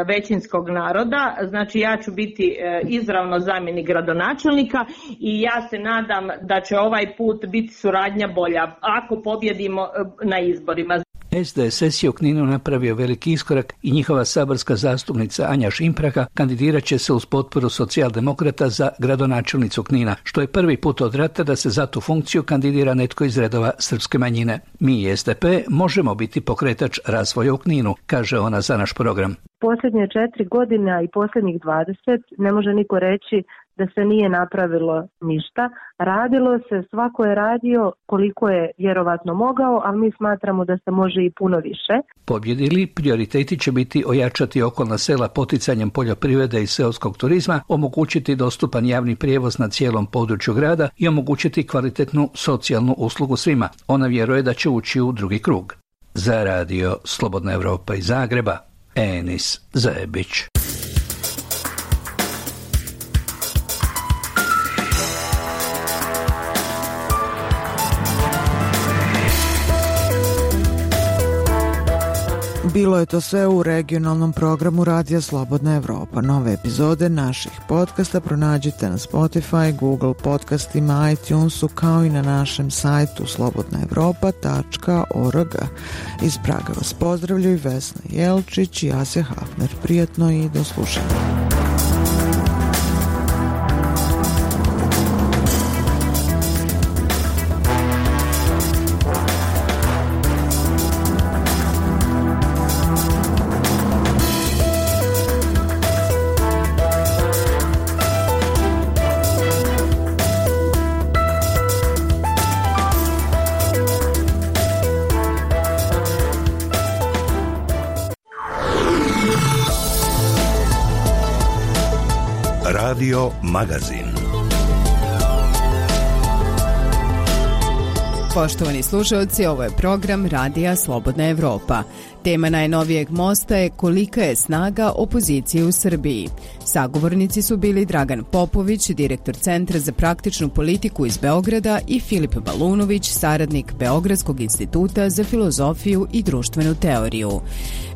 većinskog naroda, znači ja ću biti izravno zamjenik gradonačelnika i ja se nadam da će ovaj put biti suradnja bolja ako pobjedimo na izborima. SDSS je u Kninu napravio veliki iskorak i njihova saborska zastupnica Anja Šimpraga kandidirat će se uz potporu socijaldemokrata za gradonačelnicu Knina, što je prvi put od rata da se za tu funkciju kandidira netko iz redova srpske manjine. Mi i SDP možemo biti pokretač razvoja u Kninu, kaže ona za naš program. Posljednje 4 godine i posljednjih 20 ne može niko reći da se nije napravilo ništa. Radilo se, svako je radio koliko je vjerovatno mogao, ali mi smatramo da se može i puno više. Pobjedili, prioriteti će biti ojačati okolna sela poticanjem poljoprivrede i seoskog turizma, omogućiti dostupan javni prijevoz na cijelom području grada i omogućiti kvalitetnu socijalnu uslugu svima. Ona vjeruje da će ući u drugi krug. Za radio Slobodna Evropa iz Zagreba, Enis Zajebić. Bilo je to sve u regionalnom programu Radija Slobodna Evropa. Nove epizode naših podcasta pronađite na Spotify, Google podcastima, iTunesu, kao i na našem sajtu slobodnaevropa.org. Iz Praga vas pozdravljaju Vesna Jelčić i Asja Hafner. Prijatno i do slušanja. Radio Magazin. Poštovani slušalci, ovo je program Radija Slobodna Evropa. Tema najnovijeg mosta je kolika je snaga opozicije u Srbiji. Sagovornici su bili Dragan Popović, direktor Centra za praktičnu politiku iz Beograda, i Filip Balunović, saradnik Beogradskog instituta za filozofiju i društvenu teoriju.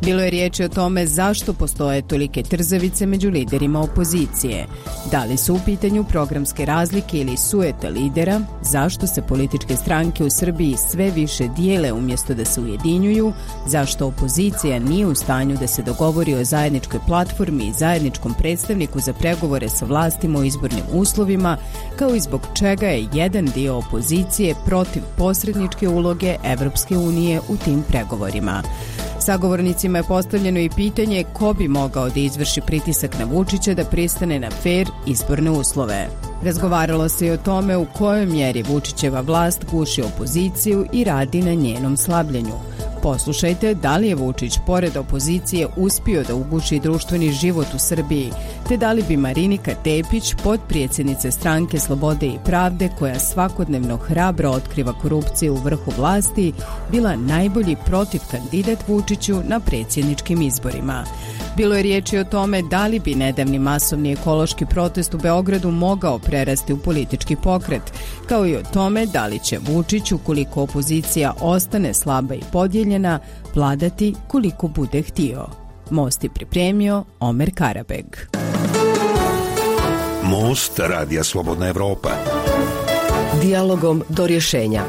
Bilo je riječi o tome zašto postoje tolike trzavice među liderima opozicije. Da li su u pitanju programske razlike ili sujeta lidera, zašto se političke stranke u Srbiji sve više dijele umjesto da se ujedinjuju, zašto opozicija nije u stanju da se dogovori o zajedničkoj platformi i zajedničkom predstavniku za pregovore sa vlastima o izbornim uslovima, kao i zbog čega je jedan dio opozicije protiv posredničke uloge Evropske unije u tim pregovorima. Sagovornicima je postavljeno i pitanje ko bi mogao da izvrši pritisak na Vučića da pristane na fer izborne uslove. Razgovaralo se i o tome u kojoj mjeri Vučićeva vlast guši opoziciju i radi na njenom slabljenju. Poslušajte da li je Vučić pored opozicije uspio da uguši društveni život u Srbiji, te da li bi Marinika Tepić, potpredsjednica Stranke Slobode i Pravde, koja svakodnevno hrabro otkriva korupciju u vrhu vlasti, bila najbolji protiv kandidat Vučiću na predsjedničkim izborima. Bilo je riječi o tome da li bi nedavni masovni ekološki protest u Beogradu mogao prerasti u politički pokret, kao i o tome da li će Vučić, ukoliko opozicija ostane slaba i podijeljena, vladati koliko bude htio. Most je pripremio Omer Karabeg. Most Radija Slobodna Evropa. Dijalogom do rješenja.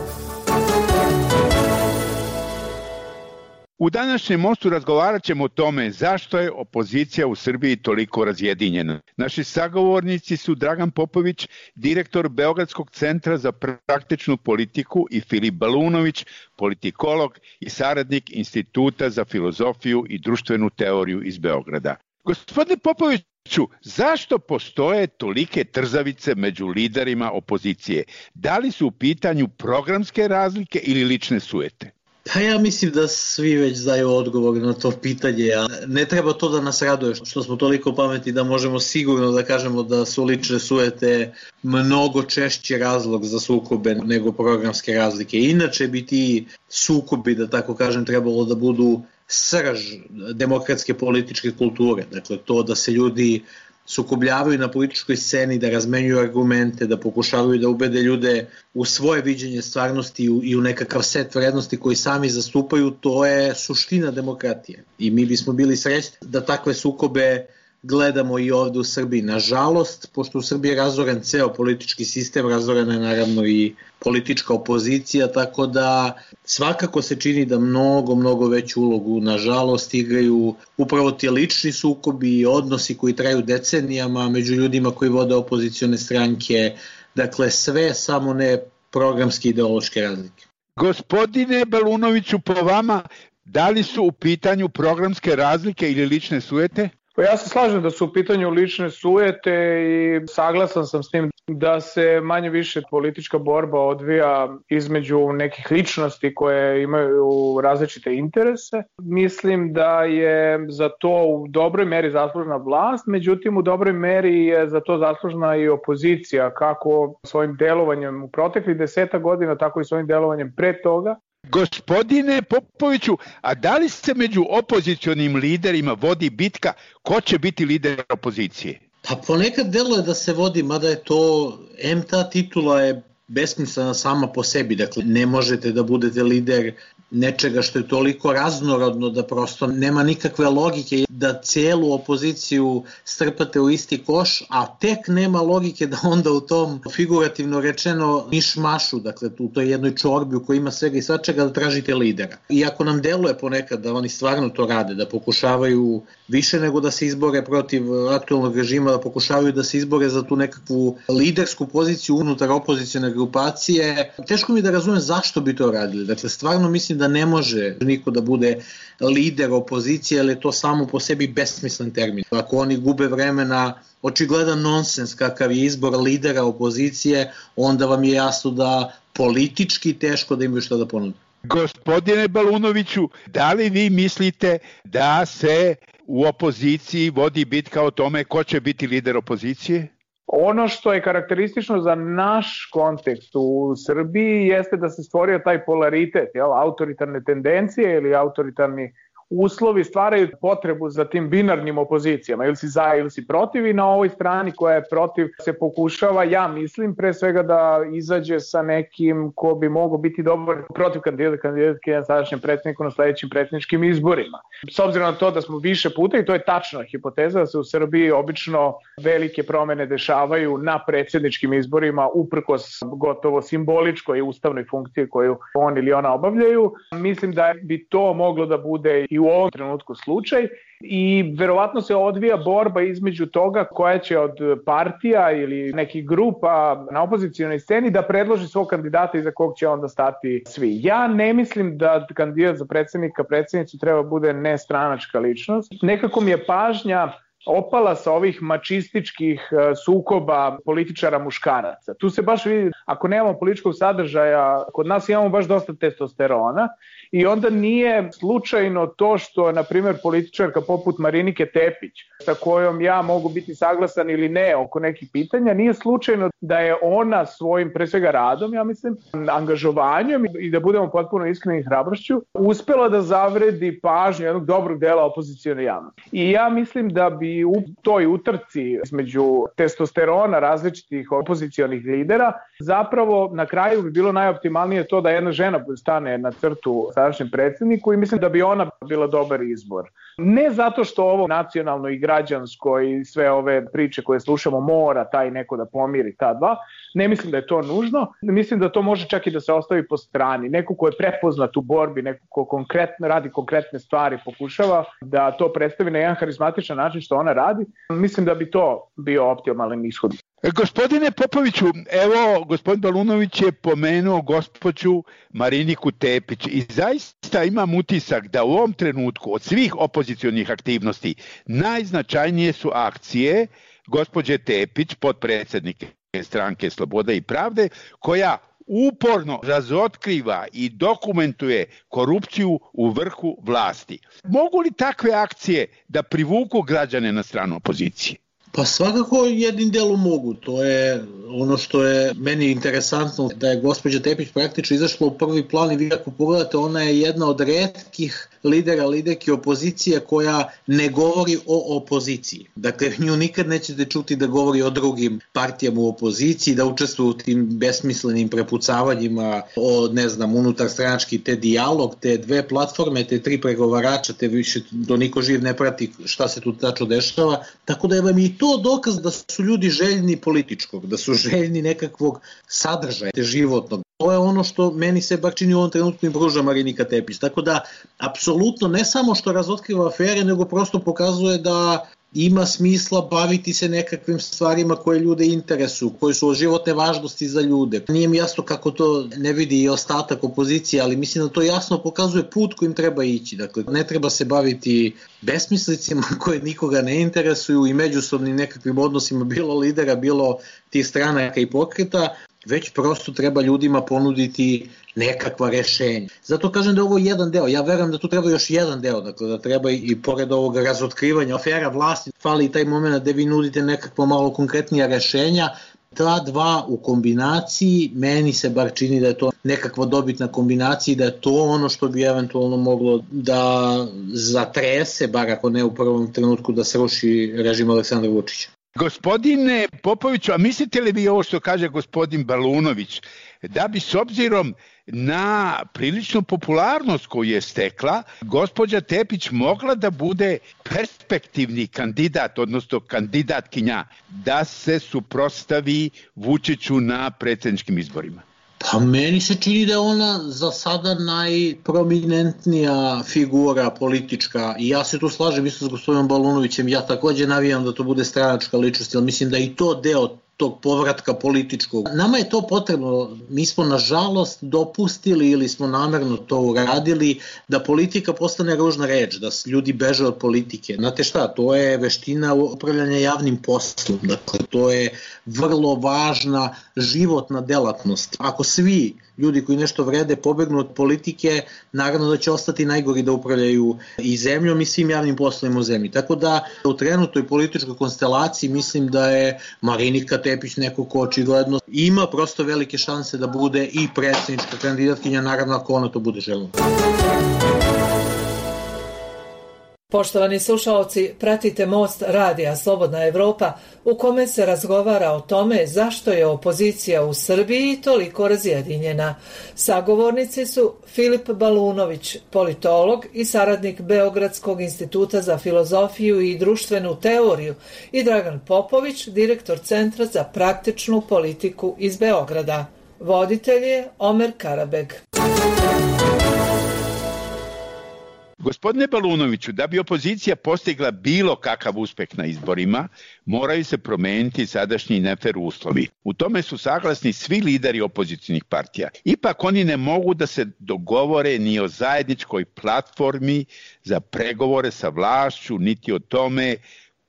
U današnjem mostu razgovarat ćemo o tome zašto je opozicija u Srbiji toliko razjedinjena. Naši sagovornici su Dragan Popović, direktor Beogradskog centra za praktičnu politiku, i Filip Balunović, politikolog i saradnik Instituta za filozofiju i društvenu teoriju iz Beograda. Gospodine Popoviću, zašto postoje tolike trzavice među liderima opozicije? Da li su u pitanju programske razlike ili lične sujete? Pa ja mislim da svi već znaju odgovor na to pitanje, a ne treba to da nas raduje što smo toliko pametni da možemo sigurno da kažemo da su lične sujete mnogo češći razlog za sukobe nego programske razlike. Inače bi ti sukobi, da tako kažem, trebalo da budu srž demokratske političke kulture. Dakle, to da se ljudi sukobljavaju na političkoj sceni, da razmenjuju argumente, da pokušavaju da ubede ljude u svoje viđenje stvarnosti i u nekakav set vrednosti koji sami zastupaju, to je suština demokratije. I mi bismo bili srećni da takve sukobe gledamo i ovdje u Srbiji. Nažalost, pošto u Srbiji je razoren ceo politički sistem, razorena je naravno i politička opozicija, tako da svakako se čini da mnogo veću ulogu, nažalost, igraju upravo ti lični sukobi i odnosi koji traju decenijama među ljudima koji vode opozicione stranke. Dakle, sve samo ne programske ideološke razlike. Gospodine Balunoviću, po vama, da li su u pitanju programske razlike ili lične sujete? Pa ja se slažem da su u pitanju lične sujete i saglasan sam s tim da se manje više politička borba odvija između nekih ličnosti koje imaju različite interese. Mislim da je za to u dobroj meri zaslužna vlast, međutim u dobroj meri je za to zaslužna i opozicija, kako svojim delovanjem u proteklih 10 godina, tako i svojim delovanjem pre toga. Gospodine Popoviću, a da li se među opozicionim liderima vodi bitka ko će biti lider opozicije? Pa ponekad deluje da se vodi, mada je to, ta titula je besmislena sama po sebi, dakle ne možete da budete lider nečega što je toliko raznorodno da prosto nema nikakve logike da celu opoziciju strpate u isti koš, a tek nema logike da onda u tom figurativno rečeno mišmašu, dakle u toj jednoj čorbi u kojoj ima svega i svačega da tražite lidera. Iako nam deluje ponekad da oni stvarno to rade, da pokušavaju više nego da se izbore protiv aktualnog režima, da pokušavaju da se izbore za tu nekakvu lidersku poziciju unutar opozicione grupacije, teško mi da razumem zašto bi to radili. Dakle, stvarno mislim da ne može niko da bude lider opozicije, ali je to samo po sebi besmislen termin. Ako oni gube vremena, očigledan nonsens kakav je izbor lidera opozicije, onda vam je jasno da politički teško da imaju šta da ponude. Gospodine Balunoviću, da li vi mislite da se u opoziciji vodi bitka o tome ko će biti lider opozicije? Ono što je karakteristično za naš kontekst u Srbiji jeste da se stvorio taj polaritet, autoritarne tendencije ili autoritarni uslovi stvaraju potrebu za tim binarnim opozicijama, ili si za ili si protiv, i na ovoj strani koja je protiv se pokušava, ja mislim, pre svega da izađe sa nekim ko bi mogao biti dobar protiv kandidatke na sadašnjem predsjedniku na sledećim predsjedničkim izborima. S obzirom na to da smo više puta, i to je tačna hipoteza, da se u Srbiji obično velike promene dešavaju na predsjedničkim izborima uprkos gotovo simboličkoj ustavnoj funkciji koju on ili ona obavljaju, mislim da bi to moglo da bude i u ovom trenutku slučaj, i verovatno se odvija borba između toga koja će od partija ili nekih grupa na opozicijonoj sceni da predloži svog kandidata iza kog će onda stati svi. Ja ne mislim da kandidat za predsjednicu treba bude nestranačka ličnost. Nekako mi je pažnja opala sa ovih mačističkih sukoba političara muškaraca. Tu se baš vidi, ako nemamo političkog sadržaja, kod nas imamo baš dosta testosterona, i onda nije slučajno to što, na primjer, političarka poput Marinike Tepić, sa kojom ja mogu biti saglasan ili ne oko nekih pitanja, nije slučajno da je ona svojim, pre svega radom, ja mislim, angažovanjem i da budemo potpuno iskreni hrabrošću, uspela da zavredi pažnju jednog dobrog dela opozicione javnosti. I ja mislim da bi u toj utrci između testosterona različitih opozicionih lidera zapravo na kraju bi bilo najoptimalnije to da jedna žena stane na crtu sadašnjem predsjedniku, i mislim da bi ona bila dobar izbor. Ne zato što ovo nacionalno i građansko i sve ove priče koje slušamo mora taj neko da pomiri ta dva, ne mislim da je to nužno, mislim da to može čak i da se ostavi po strani. Neko ko je prepoznat u borbi, neko ko konkretno radi konkretne stvari, pokušava da to predstavi na jedan harizmatičan način što ona radi, mislim da bi to bio optimalan ishod. Gospodine Popoviću, evo, gospodin Balunović je pomenuo gospođu Mariniku Tepić i zaista imam utisak da u ovom trenutku od svih opozicionih aktivnosti najznačajnije su akcije gospođe Tepić, potpredsjednike Stranke Slobode i Pravde, koja uporno razotkriva i dokumentuje korupciju u vrhu vlasti. Mogu li takve akcije da privuku građane na stranu opozicije? Pa svakako jednim delom mogu, to je ono što je meni interesantno, da je gospođa Tepić praktično izašla u prvi plan, i vi ako pogledate, ona je jedna od retkih liderki opozicije koja ne govori o opoziciji. Dakle, nju nikad nećete čuti da govori o drugim partijama u opoziciji, da učestvuje u tim besmislenim prepucavanjima o, ne znam, unutar stranački, te dijalog, te dve platforme, te tri pregovarača, te više do niko živ ne prati šta se tu tačno dešava, tako da je vam i to dokaz da su ljudi željni političkog, da su željni nekakvog sadržaja životnog. To je ono što meni se bar čini u ovom trenutku i pruža Marinika Tepić. Tako da, apsolutno, ne samo što razotkriva afere, nego prosto pokazuje da ima smisla baviti se nekakvim stvarima koje ljude interesuju, koje su od životne važnosti za ljude. Nije mi jasno kako to ne vidi i ostatak opozicije, ali mislim da to jasno pokazuje put kojim treba ići. Dakle, ne treba se baviti besmislicima koje nikoga ne interesuju i međusobnim nekakvim odnosima bilo lidera, bilo tih stranaka i pokreta, već prosto treba ljudima ponuditi nekakva rešenja. Zato kažem da je ovo jedan deo. Ja verujem da tu treba još jedan deo, dakle da treba i pored ovog razotkrivanja afera vlasti, fali i taj moment gde vi nudite nekakva malo konkretnija rešenja. Ta dva u kombinaciji, meni se bar čini da je to nekakva dobitna kombinacija i da je to ono što bi eventualno moglo da zatrese, bar ako ne u prvom trenutku da sruši režim Aleksandra Vučića. Gospodine Popoviću, a mislite li vi ovo što kaže gospodin Balunović, da bi s obzirom na priličnu popularnost koju je stekla, gospođa Tepić mogla da bude perspektivni kandidat, odnosno kandidatkinja, da se suprotstavi Vučiću na predsjedničkim izborima? Pa meni se čini da je ona za sada najprominentnija figura politička i ja se tu slažem isto s gospodinom Balunovićem, ja takođe navijam da to bude stranačka ličnost, ali mislim da i to deo tog povratka političkog. Nama je to potrebno, mi smo nažalost dopustili ili smo namerno to uradili da politika postane ružna reč, da ljudi beže od politike. Znate šta, to je veština upravljanja javnim poslom, dakle to je vrlo važna životna delatnost. Ako svi ljudi koji nešto vrede pobegnu od politike, naravno da će ostati najgori da upravljaju i zemljom i svim javnim poslovima u zemlji. Tako da u trenutnoj političkoj konstelaciji mislim da je Marinika Tepić neko ko očigledno ima prosto velike šanse da bude i predsjednička kandidatkinja, naravno ako ona to bude željela. Poštovani slušaoci, pratite Most radija Slobodna Evropa u kome se razgovara o tome zašto je opozicija u Srbiji toliko razjedinjena. Sagovornici su Filip Balunović, politolog i saradnik Beogradskog instituta za filozofiju i društvenu teoriju i Dragan Popović, direktor Centra za praktičnu politiku iz Beograda. Voditelj je Omer Karabeg. Gospodine Balunoviću, da bi opozicija postigla bilo kakav uspeh na izborima, moraju se promeniti sadašnji nefer uslovi. U tome su saglasni svi lideri opozicijnih partija. Ipak oni ne mogu da se dogovore ni o zajedničkoj platformi za pregovore sa vlašću, niti o tome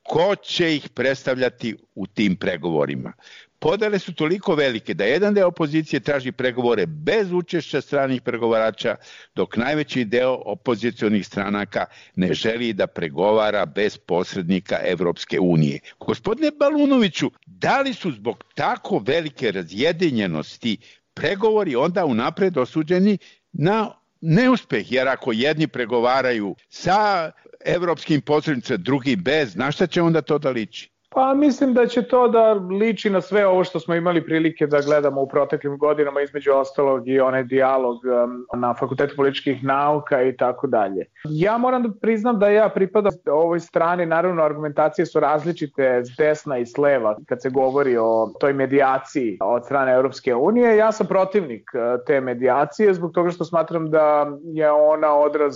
ko će ih predstavljati u tim pregovorima. Podele su toliko velike da jedan deo opozicije traži pregovore bez učešća stranih pregovarača, dok najveći deo opozicionih stranaka ne želi da pregovara bez posrednika Evropske unije. Gospodine Balunoviću, da li su zbog tako velike razjedinjenosti pregovori onda unapred osuđeni na neuspeh? Jer ako jedni pregovaraju sa evropskim posrednicima, drugi bez, na šta će onda to da liči? Pa mislim da će to da liči na sve ovo što smo imali prilike da gledamo u proteklim godinama, između ostalog i onaj dijalog na Fakultetu političkih nauka i tako dalje. Ja moram da priznam da ja pripadam ovoj strani, naravno argumentacije su različite s desna i s leva kad se govori o toj medijaciji od strane Europske unije. Ja sam protivnik te medijacije zbog toga što smatram da je ona odraz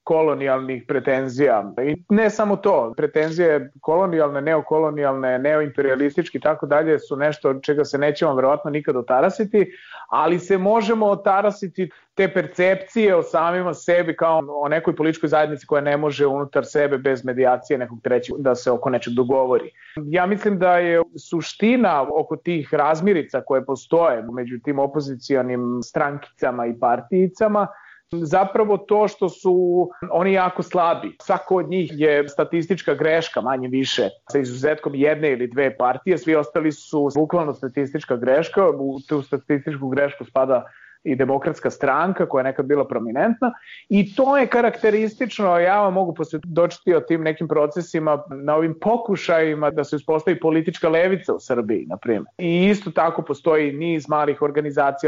kolonijalnih pretenzija. I ne samo to, pretenzije kolonijalne, neokolonijalne, neoimperialistički i tako dalje su nešto od čega se nećemo verovatno nikad otarasiti, ali se možemo otarasiti te percepcije o samima sebi kao o nekoj političkoj zajednici koja ne može unutar sebe bez medijacije nekog trećeg da se oko nečeg dogovori. Ja mislim da je suština oko tih razmirica koje postoje među tim opozicijonim strankicama i partijicama zapravo to što su oni jako slabi. Svako od njih je statistička greška, manje više, sa izuzetkom jedne ili dve partije, svi ostali su bukvalno statistička greška, u tu statističku grešku spada i Demokratska stranka koja je nekad bila prominentna i to je karakteristično, ja vam mogu posvjedočiti o tim nekim procesima na ovim pokušajima da se uspostavi politička levica u Srbiji, na primjer. I isto tako postoji niz malih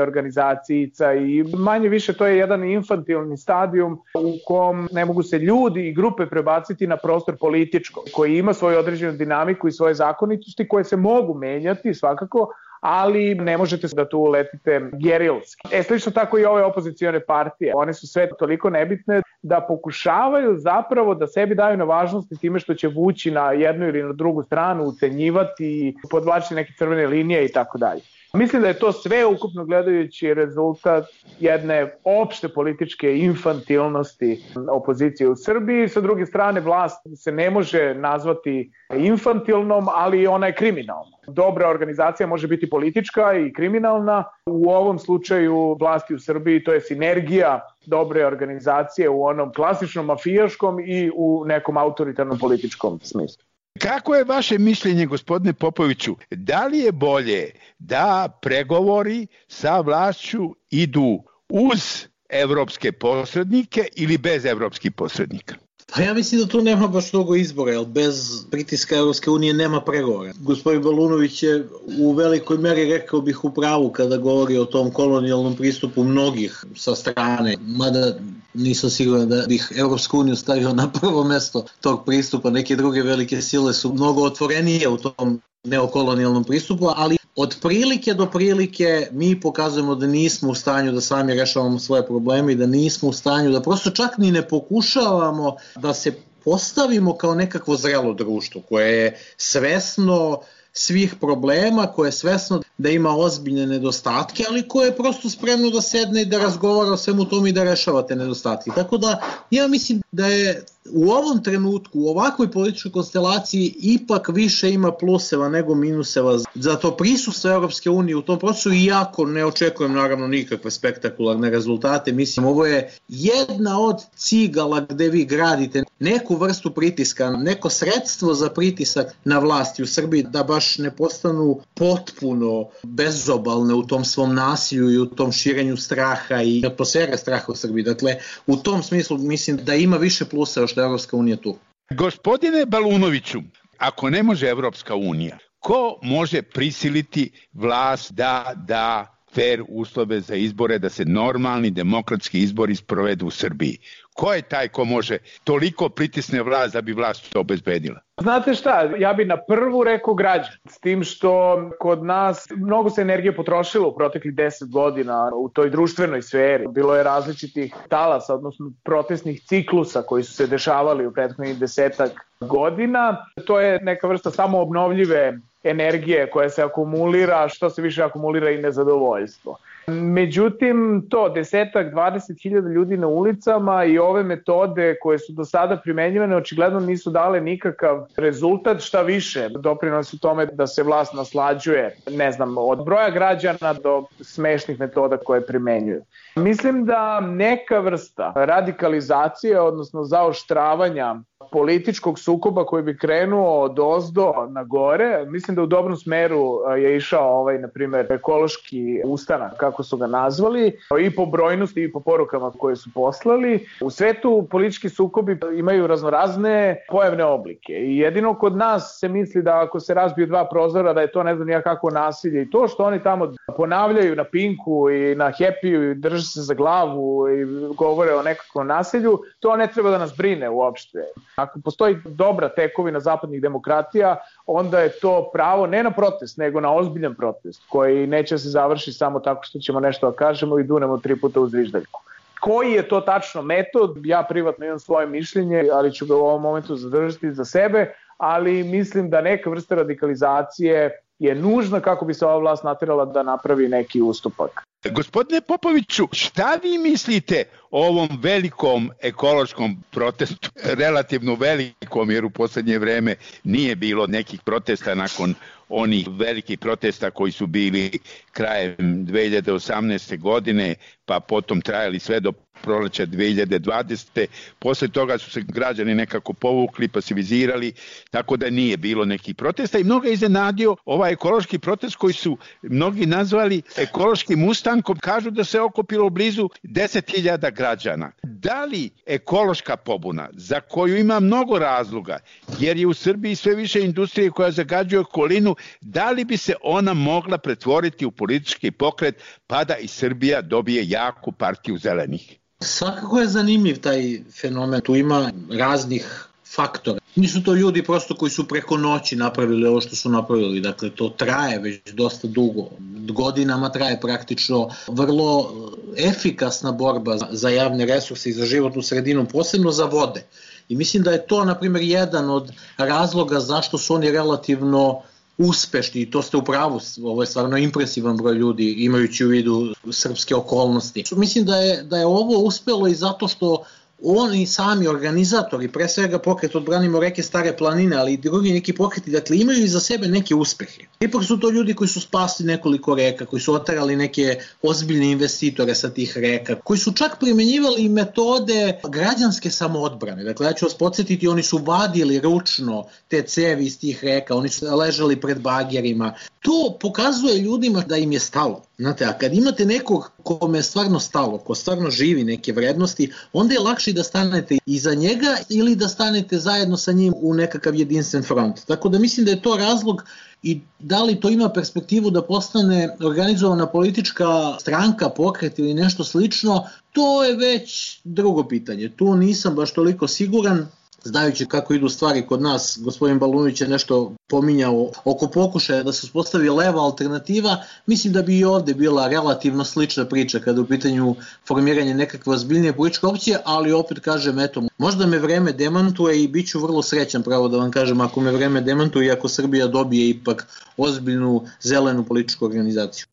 organizacijica i manje više to je jedan infantilni stadijum u kom ne mogu se ljudi i grupe prebaciti na prostor političko, koji ima svoju određenu dinamiku i svoje zakonitosti koje se mogu menjati svakako, ali ne možete da tu uletite gerilski. Slično tako i ove opozicione partije. One su sve toliko nebitne da pokušavaju zapravo da sebi daju na važnosti time što će vući na jednu ili na drugu stranu, ucenjivati, podvlačiti neke crvene linije i tako dalje. Mislim da je to sve ukupno gledajući rezultat jedne opšte političke infantilnosti opozicije u Srbiji. Sa druge strane, vlast se ne može nazvati infantilnom, ali ona je kriminalna. Dobra organizacija može biti politička i kriminalna. U ovom slučaju vlasti u Srbiji to je sinergija dobre organizacije u onom klasičnom mafijaškom i u nekom autoritarnom političkom smislu. Kako je vaše mišljenje, gospodine Popoviću, da li je bolje da pregovori sa vlašću idu uz evropske posrednike ili bez evropskih posrednika? Pa ja mislim da tu nema baš mnogo izbora, jer bez pritiska Evropske unije nema pregovora. Gospodin Balunović je u velikoj meri, rekao bih, u pravu kada govori o tom kolonijalnom pristupu mnogih sa strane, mada nisam siguran da bih Evropsku uniju stavio na prvo mesto tog pristupa. Neke druge velike sile su mnogo otvorenije u tom neokolonijalnom pristupu, ali od prilike do prilike mi pokazujemo da nismo u stanju da sami rešavamo svoje probleme i da nismo u stanju da prosto čak ni ne pokušavamo da se postavimo kao nekakvo zrelo društvo koje je svesno svih problema, koje je svesno da ima ozbiljne nedostatke, ali koje je prosto spremno da sedne i da razgovara o svemu tome i da rešava te nedostatke. Tako da ja mislim da je u ovom trenutku, u ovakvoj političkoj konstelaciji ipak više ima pluseva nego minuseva. Zato prisustvo Europske unije u tom procesu, iako ne očekujem naravno nikakve spektakularne rezultate, mislim ovo je jedna od cigala gde vi gradite neku vrstu pritiska, neko sredstvo za pritisak na vlasti u Srbiji da baš ne postanu potpuno bezobalne u tom svom nasilju i u tom širenju straha i atmosfere straha u Srbiji. Dakle, u tom smislu mislim da ima više pluseva što je Evropska unija tu. Gospodine Balunoviću, ako ne može Evropska unija, ko može prisiliti vlast da da fair uslove za izbore, da se normalni demokratski izbori sprovedu u Srbiji? Ko je taj ko može toliko pritisne vlast da bi vlast to obezbedila? Znate šta, ja bi na prvu rekao građan, s tim što kod nas mnogo se energije potrošilo u proteklih 10 godina u toj društvenoj sferi. Bilo je različitih talasa, odnosno protestnih ciklusa koji su se dešavali u prethodnih 10 godina. To je neka vrsta samoobnovljive energije koja se akumulira, što se više akumulira i nezadovoljstvo. Međutim, to 10-20 ljudi na ulicama i ove metode koje su do sada primenjivane očigledno nisu dale nikakav rezultat, šta više doprinosi tome da se vlast naslađuje, ne znam, od broja građana do smešnih metoda koje primenjuju. Mislim da neka vrsta radikalizacije, odnosno zaoštravanja političkog sukoba koji bi krenuo od ozdo na gore, mislim da u dobrom smeru je išao na primjer, ekološki ustanak, kako su ga nazvali, i po brojnosti i po porukama koje su poslali. U svetu politički sukobi imaju raznorazne pojavne oblike i jedino kod nas se misli da ako se razbiju dva prozora da je to ne znam nija kako nasilje i to što oni tamo ponavljaju na Pinku i na Happy-u i drže se za glavu i govore o nekakvom nasilju, to ne treba da nas brine uopšte. Ako postoji dobra tekovina zapadnih demokratija, onda je to pravo ne na protest, nego na ozbiljan protest, koji neće se završiti samo tako što ćemo nešto da kažemo i dunemo 3 puta uz zviždaljku. Koji je to tačno metod? Ja privatno imam svoje mišljenje, ali ću ga u ovom momentu zadržati za sebe, ali mislim da neka vrsta radikalizacije je nužna kako bi se ova vlast naterala da napravi neki ustupak. Gospodine Popoviću, šta vi mislite o ovom velikom ekološkom protestu, relativno velikom, jer u poslednje vreme nije bilo nekih protesta nakon onih velikih protesta koji su bili krajem 2018. godine, pa potom trajali sve do proleća 2020. Posle toga su se građani nekako povukli, pasivizirali, tako da nije bilo nekih protesta i mnogo je iznenadio ovaj ekološki protest koji su mnogi nazvali ekološkim ustankom. Kažu da se okupilo blizu 10.000 građana. Da li ekološka pobuna, za koju ima mnogo razloga, jer je u Srbiji sve više industrije koja zagađuje okolinu, da li bi se ona mogla pretvoriti u politički pokret pa da i Srbija dobije jaku partiju zelenih? Svakako je zanimljiv taj fenomen. Tu ima raznih faktora. Nisu to ljudi prosto koji su preko noći napravili ovo što su napravili, dakle to traje već dosta dugo, godinama traje praktično vrlo efikasna borba za javne resurse i za životnu sredinu, posebno za vode. I mislim da je to, na primjer, jedan od razloga zašto su oni relativno uspešni, i to ste u pravu, ovo je stvarno impresivan broj ljudi imajući u vidu srpske okolnosti. Mislim da je ovo uspelo i zato što oni sami organizatori, pre svega pokret Odbranimo reke Stare planine, ali i drugi neki pokreti, dakle imaju iza sebe neke uspehe. Ipak su to ljudi koji su spasli nekoliko reka, koji su oterali neke ozbiljne investitore sa tih reka, koji su čak primenjivali metode građanske samoodbrane. Dakle, ja ću vas podsjetiti, oni su vadili ručno te cevi iz tih reka, oni su ležali pred bagerima. To pokazuje ljudima da im je stalo. Znate, a kad imate nekog kome je stvarno stalo, ko stvarno živi neke vrednosti, onda je lakše da stanete iza njega ili da stanete zajedno sa njim u nekakav jedinstven front. Tako da mislim da je to razlog, i da li to ima perspektivu da postane organizovana politička stranka, pokret ili nešto slično, to je već drugo pitanje. Tu nisam baš toliko siguran. Znajući kako idu stvari kod nas, gospodin Balunović je nešto pominjao oko pokušaja da se uspostavi leva alternativa, mislim da bi i ovde bila relativno slična priča kada je u pitanju formiranje nekakve ozbiljnije političke opcije, ali opet kažem, eto, možda me vreme demantuje i bit ću vrlo srećan, pravo da vam kažem, ako me vreme demantuje i ako Srbija dobije ipak ozbiljnu zelenu političku organizaciju.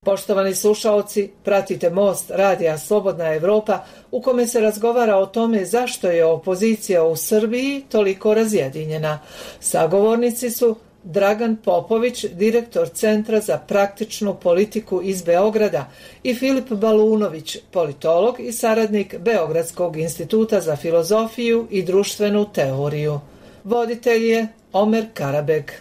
Poštovani slušaoci, pratite Most radija Slobodna Evropa u kome se razgovara o tome zašto je opozicija u Srbiji toliko razjedinjena. Sagovornici su Dragan Popović, direktor Centra za praktičnu politiku iz Beograda, i Filip Balunović, politolog i saradnik Beogradskog instituta za filozofiju i društvenu teoriju. Voditelj je Omer Karabeg.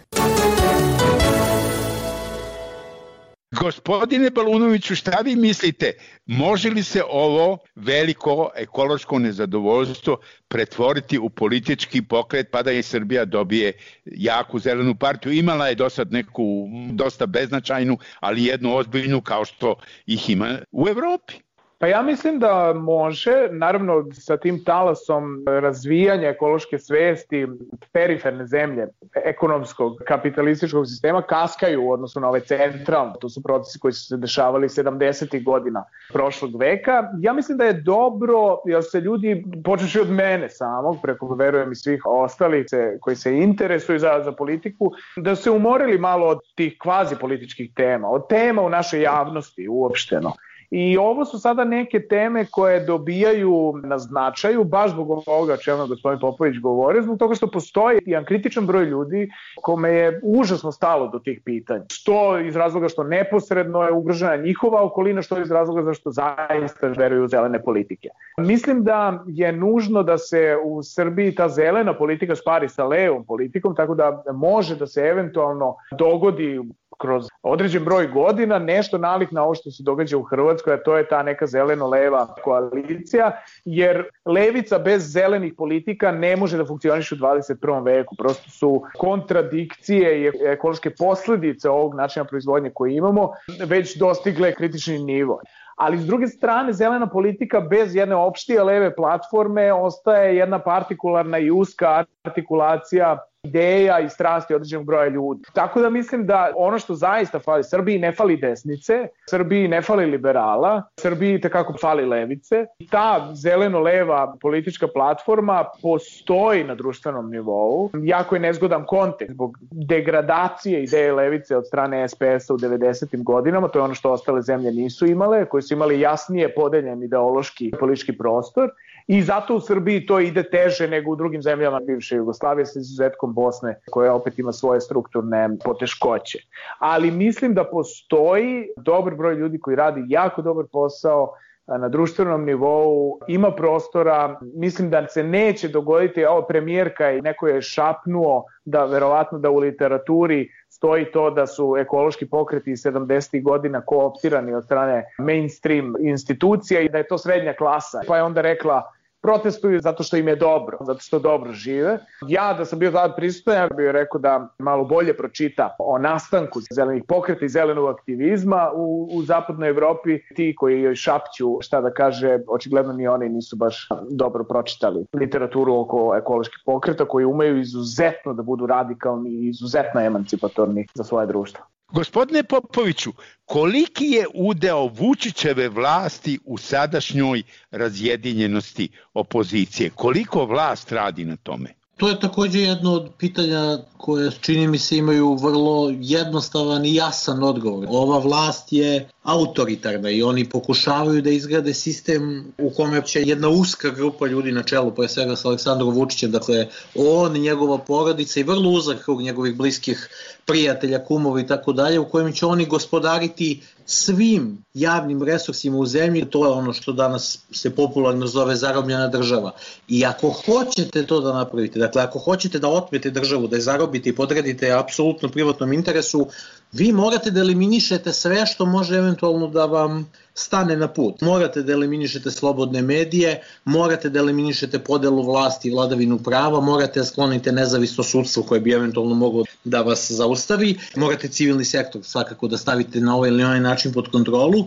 Gospodine Balunoviću, šta vi mislite, može li se ovo veliko ekološko nezadovoljstvo pretvoriti u politički pokret pa da i Srbija dobije jaku zelenu partiju? Imala je do sad neku dosta beznačajnu, ali jednu ozbiljnu kao što ih ima u Evropi. Pa ja mislim da može, naravno sa tim talasom razvijanja ekološke svesti, periferne zemlje ekonomskog kapitalističkog sistema kaskaju u odnosu na ove centralne. To su procesi koji su se dešavali 70. godina prošlog veka. Ja mislim da je dobro, jer se ljudi, počeši od mene samog, preko verujem i svih ostalih koji se interesuju za politiku, da se umorili malo od tih kvazi političkih tema, od tema u našoj javnosti uopšteno. I ovo su sada neke teme koje dobijaju na značaju, baš zbog ovoga čemu gospodin Popović govori, zbog toga što postoji jedan kritičan broj ljudi kome je užasno stalo do tih pitanja. Što iz razloga što neposredno je ugrožena njihova okolina, što iz razloga zašto zaista veruju u zelene politike. Mislim da je nužno da se u Srbiji ta zelena politika spari sa levom politikom, tako da može da se eventualno dogodi kroz određen broj godina nešto nalik na ovo što se događa u Hrvatskoj, a to je ta neka zeleno-leva koalicija, jer levica bez zelenih politika ne može da funkcioniše u 21. veku. Prosto su kontradikcije i ekološke posljedice ovog načina proizvodnje koji imamo već dostigle kritični nivo. Ali s druge strane, zelena politika bez jedne opštije leve platforme ostaje jedna partikularna i uska artikulacija ideja i strasti određenog broja ljudi. Tako da mislim da ono što zaista fali, Srbiji ne fali desnice, Srbiji ne fali liberala, Srbiji tekako fali levice. Ta zeleno-leva politička platforma postoji na društvenom nivou. Jako je nezgodan kontekst zbog degradacije ideje levice od strane SPS-a u 90. godinama, to je ono što ostale zemlje nisu imale, koje su imali jasnije podeljen ideološki politički prostor. I zato u Srbiji to ide teže nego u drugim zemljama bivše Jugoslavije, sa izuzetkom Bosne, koja opet ima svoje strukturne poteškoće. Ali mislim da postoji dobar broj ljudi koji radi jako dobar posao na društvenom nivou, ima prostora. Mislim da se neće dogoditi, ovo premijerka i neko je šapnuo da verovatno da u literaturi stoji to da su ekološki pokreti iz 70. godina kooptirani od strane mainstream institucija i da je to srednja klasa. Pa je onda rekla protestuju zato što im je dobro, zato što dobro žive. Ja da sam bio tada prisutan, ja bih rekao da malo bolje pročita o nastanku zelenih pokreta i zelenog aktivizma u zapadnoj Evropi. Ti koji joj šapću šta da kaže, očigledno ni oni nisu baš dobro pročitali literaturu oko ekoloških pokreta koji umeju izuzetno da budu radikalni i izuzetno emancipatorni za svoje društvo. Gospodine Popoviću, koliki je udeo Vučićeve vlasti u sadašnjoj razjedinjenosti opozicije? Koliko vlast radi na tome? To je također jedno od pitanja koje čini mi se imaju vrlo jednostavan i jasan odgovor. Ova vlast je autoritarna i oni pokušavaju da izgrade sistem u kome će jedna uska grupa ljudi na čelu, pre svega s Aleksandrom Vučićem, dakle on, njegova porodica i vrlo uzak krug njegovih bliskih prijatelja, kumova i tako dalje, u kojem će oni gospodariti svim javnim resursima u zemlji. To je ono što danas se popularno zove zarobljena država. I ako hoćete to da napravite, dakle ako hoćete da otmete državu, da je zarobite i podredite apsolutno privatnom interesu, vi morate da eliminišete sve što može eventualno da vam stane na put. Morate da eliminišete slobodne medije, morate da eliminišete podelu vlasti i vladavinu prava, morate da sklonite nezavisno sudstvo koje bi eventualno moglo da vas zaustavi, morate civilni sektor svakako da stavite na ovaj ili onaj način pod kontrolu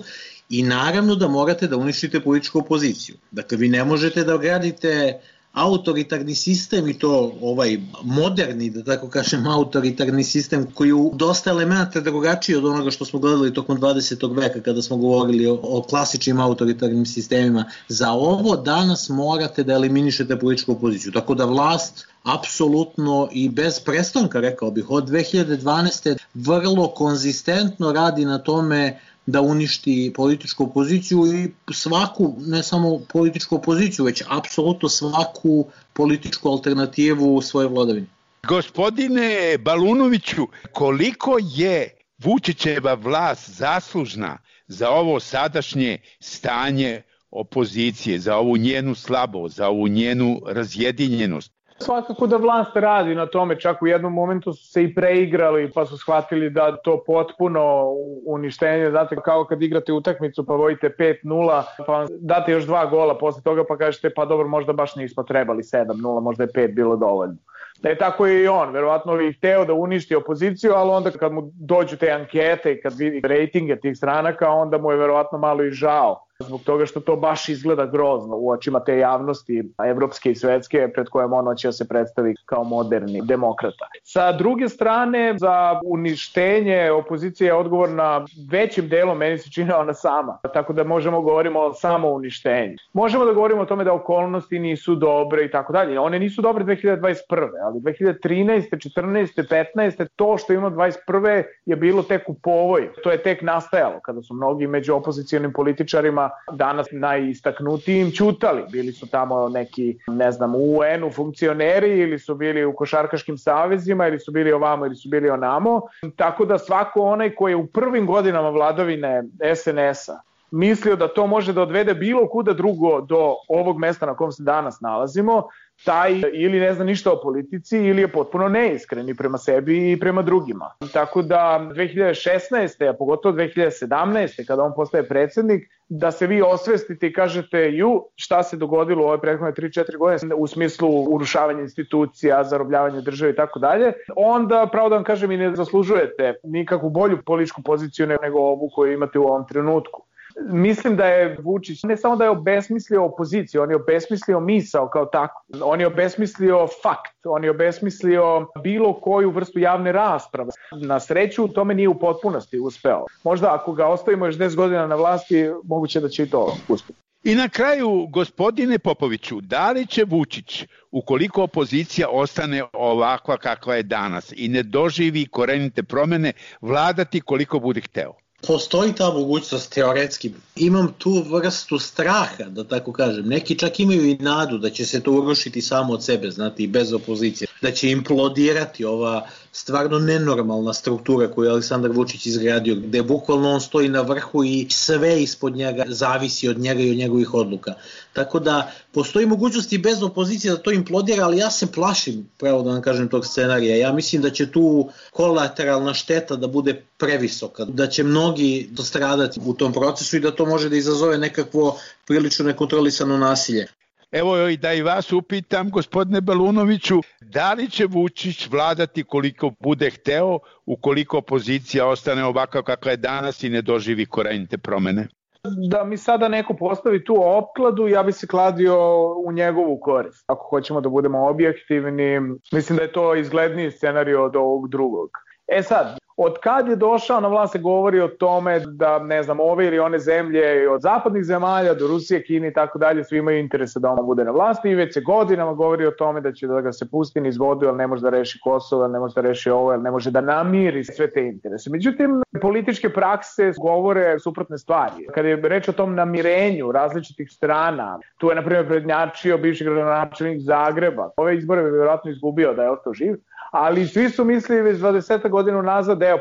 i naravno da morate da uništite političku opoziciju. Dakle, vi ne možete da gradite autoritarni sistem i to ovaj moderni, da tako kažem, autoritarni sistem koji u dosta elementa drugačiji od onoga što smo gledali tokom 20. veka kada smo govorili o klasičnim autoritarnim sistemima. Za ovo danas morate da eliminišete političku opoziciju. Tako da vlast apsolutno i bez prestanka, rekao bih, od 2012. vrlo konzistentno radi na tome da uništi političku opoziciju i svaku, ne samo političku opoziciju, već apsolutno svaku političku alternativu u svojoj vladavini. Gospodine Balunoviću, koliko je Vučićeva vlast zaslužna za ovo sadašnje stanje opozicije, za ovu njenu slabost, za ovu njenu razjedinjenost? Svakako da vlast radi na tome, čak u jednom momentu su se i preigrali pa su shvatili da to potpuno uništenje, znate kao kad igrate utakmicu pa vodite 5-0 pa vam date još 2 gola posle toga pa kažete pa dobro možda baš nismo trebali 7-0, možda je 5 bilo dovoljno. Da je tako i on, verovatno bi hteo da uništi opoziciju, ali onda kad mu dođu te ankete i kad vidi rejtinge tih stranaka, onda mu je verovatno malo i žao. Zbog toga što to baš izgleda grozno u očima te javnosti evropske i svetske pred kojom on hoće da se predstavi kao moderni demokrata. Sa druge strane, za uništenje opozicije je odgovorna većim delom, meni se čini ona sama. Tako da možemo govorimo o samo uništenju. Možemo da govorimo o tome da okolnosti nisu dobre i tako dalje. One nisu dobre 2021. ali 2013. 14. 15. to što imamo 21. je bilo tek u povoj. To je tek nastajalo kada su mnogi među opozicijalnim političarima danas najistaknutijim ćutali. Bili su tamo neki, ne znam, u UN-u funkcioneri ili su bili u košarkaškim savezima ili su bili ovamo ili su bili onamo. Tako da svako onaj koji je u prvim godinama vladavine SNS-a mislio da to može da odvede bilo kuda drugo do ovog mesta na kom se danas nalazimo, taj ili ne zna ništa o politici ili je potpuno neiskren i prema sebi i prema drugima. Tako da 2016. a pogotovo 2017. kada on postaje predsjednik, da se vi osvestite i kažete šta se dogodilo u ove prethodne 3-4 godine u smislu urušavanja institucija, zarobljavanja države i tako dalje, onda pravo da vam kažem i ne zaslužujete nikakvu bolju političku poziciju nego ovu koju imate u ovom trenutku. Mislim da je Vučić ne samo da je obesmislio opoziciju, on je obesmislio misao kao tako. On je obesmislio fakt, on je obesmislio bilo koju vrstu javne rasprave. Na sreću u tome nije u potpunosti uspeo. Možda ako ga ostavimo još 10 godina na vlasti, moguće da će i to uspjeti. I na kraju, gospodine Popoviću, da li će Vučić, ukoliko opozicija ostane ovakva kakva je danas i ne doživi korenite promjene, vladati koliko bude hteo? Postoji ta mogućnost teoretski. Imam tu vrstu straha, da tako kažem. Neki čak imaju i nadu da će se to urušiti samo od sebe, znate, i bez opozicije. Da će implodirati ova stvarno nenormalna struktura koju je Aleksandar Vučić izgradio, gde bukvalno on stoji na vrhu i sve ispod njega zavisi od njega i od njegovih odluka. Tako da postoji mogućnost i bez opozicije da to implodira, ali ja se plašim, pravo da vam kažem, tog scenarija. Ja mislim da će tu kolateralna šteta da bude previsoka, da će mnogi dostradati u tom procesu i da to može da izazove nekakvo prilično nekontrolisano nasilje. Evo i da i vas upitam, gospodine Balunoviću, da li će Vučić vladati koliko bude hteo, ukoliko opozicija ostane ovakva kakva je danas i ne doživi korenite promene? Da mi sada neko postavi tu opkladu, ja bi se kladio u njegovu korist. Ako hoćemo da budemo objektivni, mislim da je to izgledniji scenario od ovog drugog. Sad, od kad je došao na vlast se govori o tome da, ne znam, ove ili one zemlje, od zapadnih zemalja do Rusije, Kine i tako dalje, svi imaju interese da on bude na vlasti i već se godinama govori o tome da će da ga se pusti niz vodu, jer ne može da reši Kosovo, ne može da reši ovo, jer ne može da namiri sve te interese. Međutim, političke prakse govore suprotne stvari. Kad je reč o tom namirenju različitih strana, tu je, na primjer, prednjačio bivši gradonačelnik Zagreba. Ove izbore bi vjerojatno izgubio da je ostao živ, ali svi su mislili već 20 godina nazad da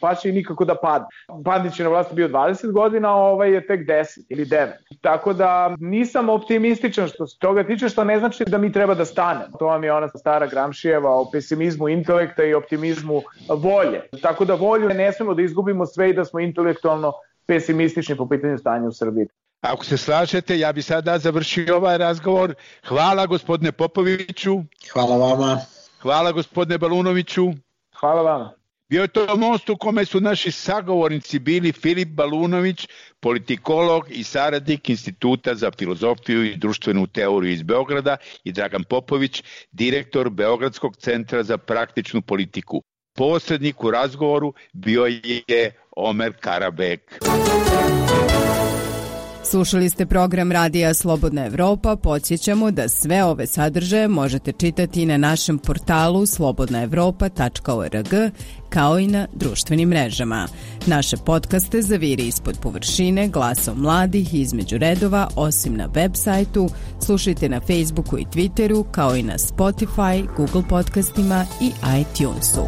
pašće i nikako da padne. Bandić je na vlasti bio 20 godina, a ovaj je tek 10 ili 9. Tako da nisam optimističan što se toga tiče, što ne znači da mi treba da stanemo. To vam je ona stara Gramšijeva o pesimizmu intelekta i optimizmu volje. Tako da volju ne smemo da izgubimo sve i da smo intelektualno pesimistični po pitanju stanja u Srbiji. Ako se slažete, ja bi sada završio ovaj razgovor. Hvala gospodine Popoviću. Hvala vama. Hvala gospodine Balunoviću. Hvala vama. Bio je to most u kome su naši sagovornici bili Filip Balunović, politikolog i saradnik Instituta za filozofiju i društvenu teoriju iz Beograda, i Dragan Popović, direktor Beogradskog centra za praktičnu politiku. Posrednik u razgovoru bio je Omer Karabek. Slušali ste program Radija Slobodna Evropa. Podsjećamo da sve ove sadržaje možete čitati na našem portalu slobodnaevropa.org, kao i na društvenim mrežama. Naše podcaste zaviri ispod površine, glasom mladih između redova, osim na web sajtu. Slušajte na Facebooku i Twitteru, kao i na Spotify, Google podcastima i iTunesu.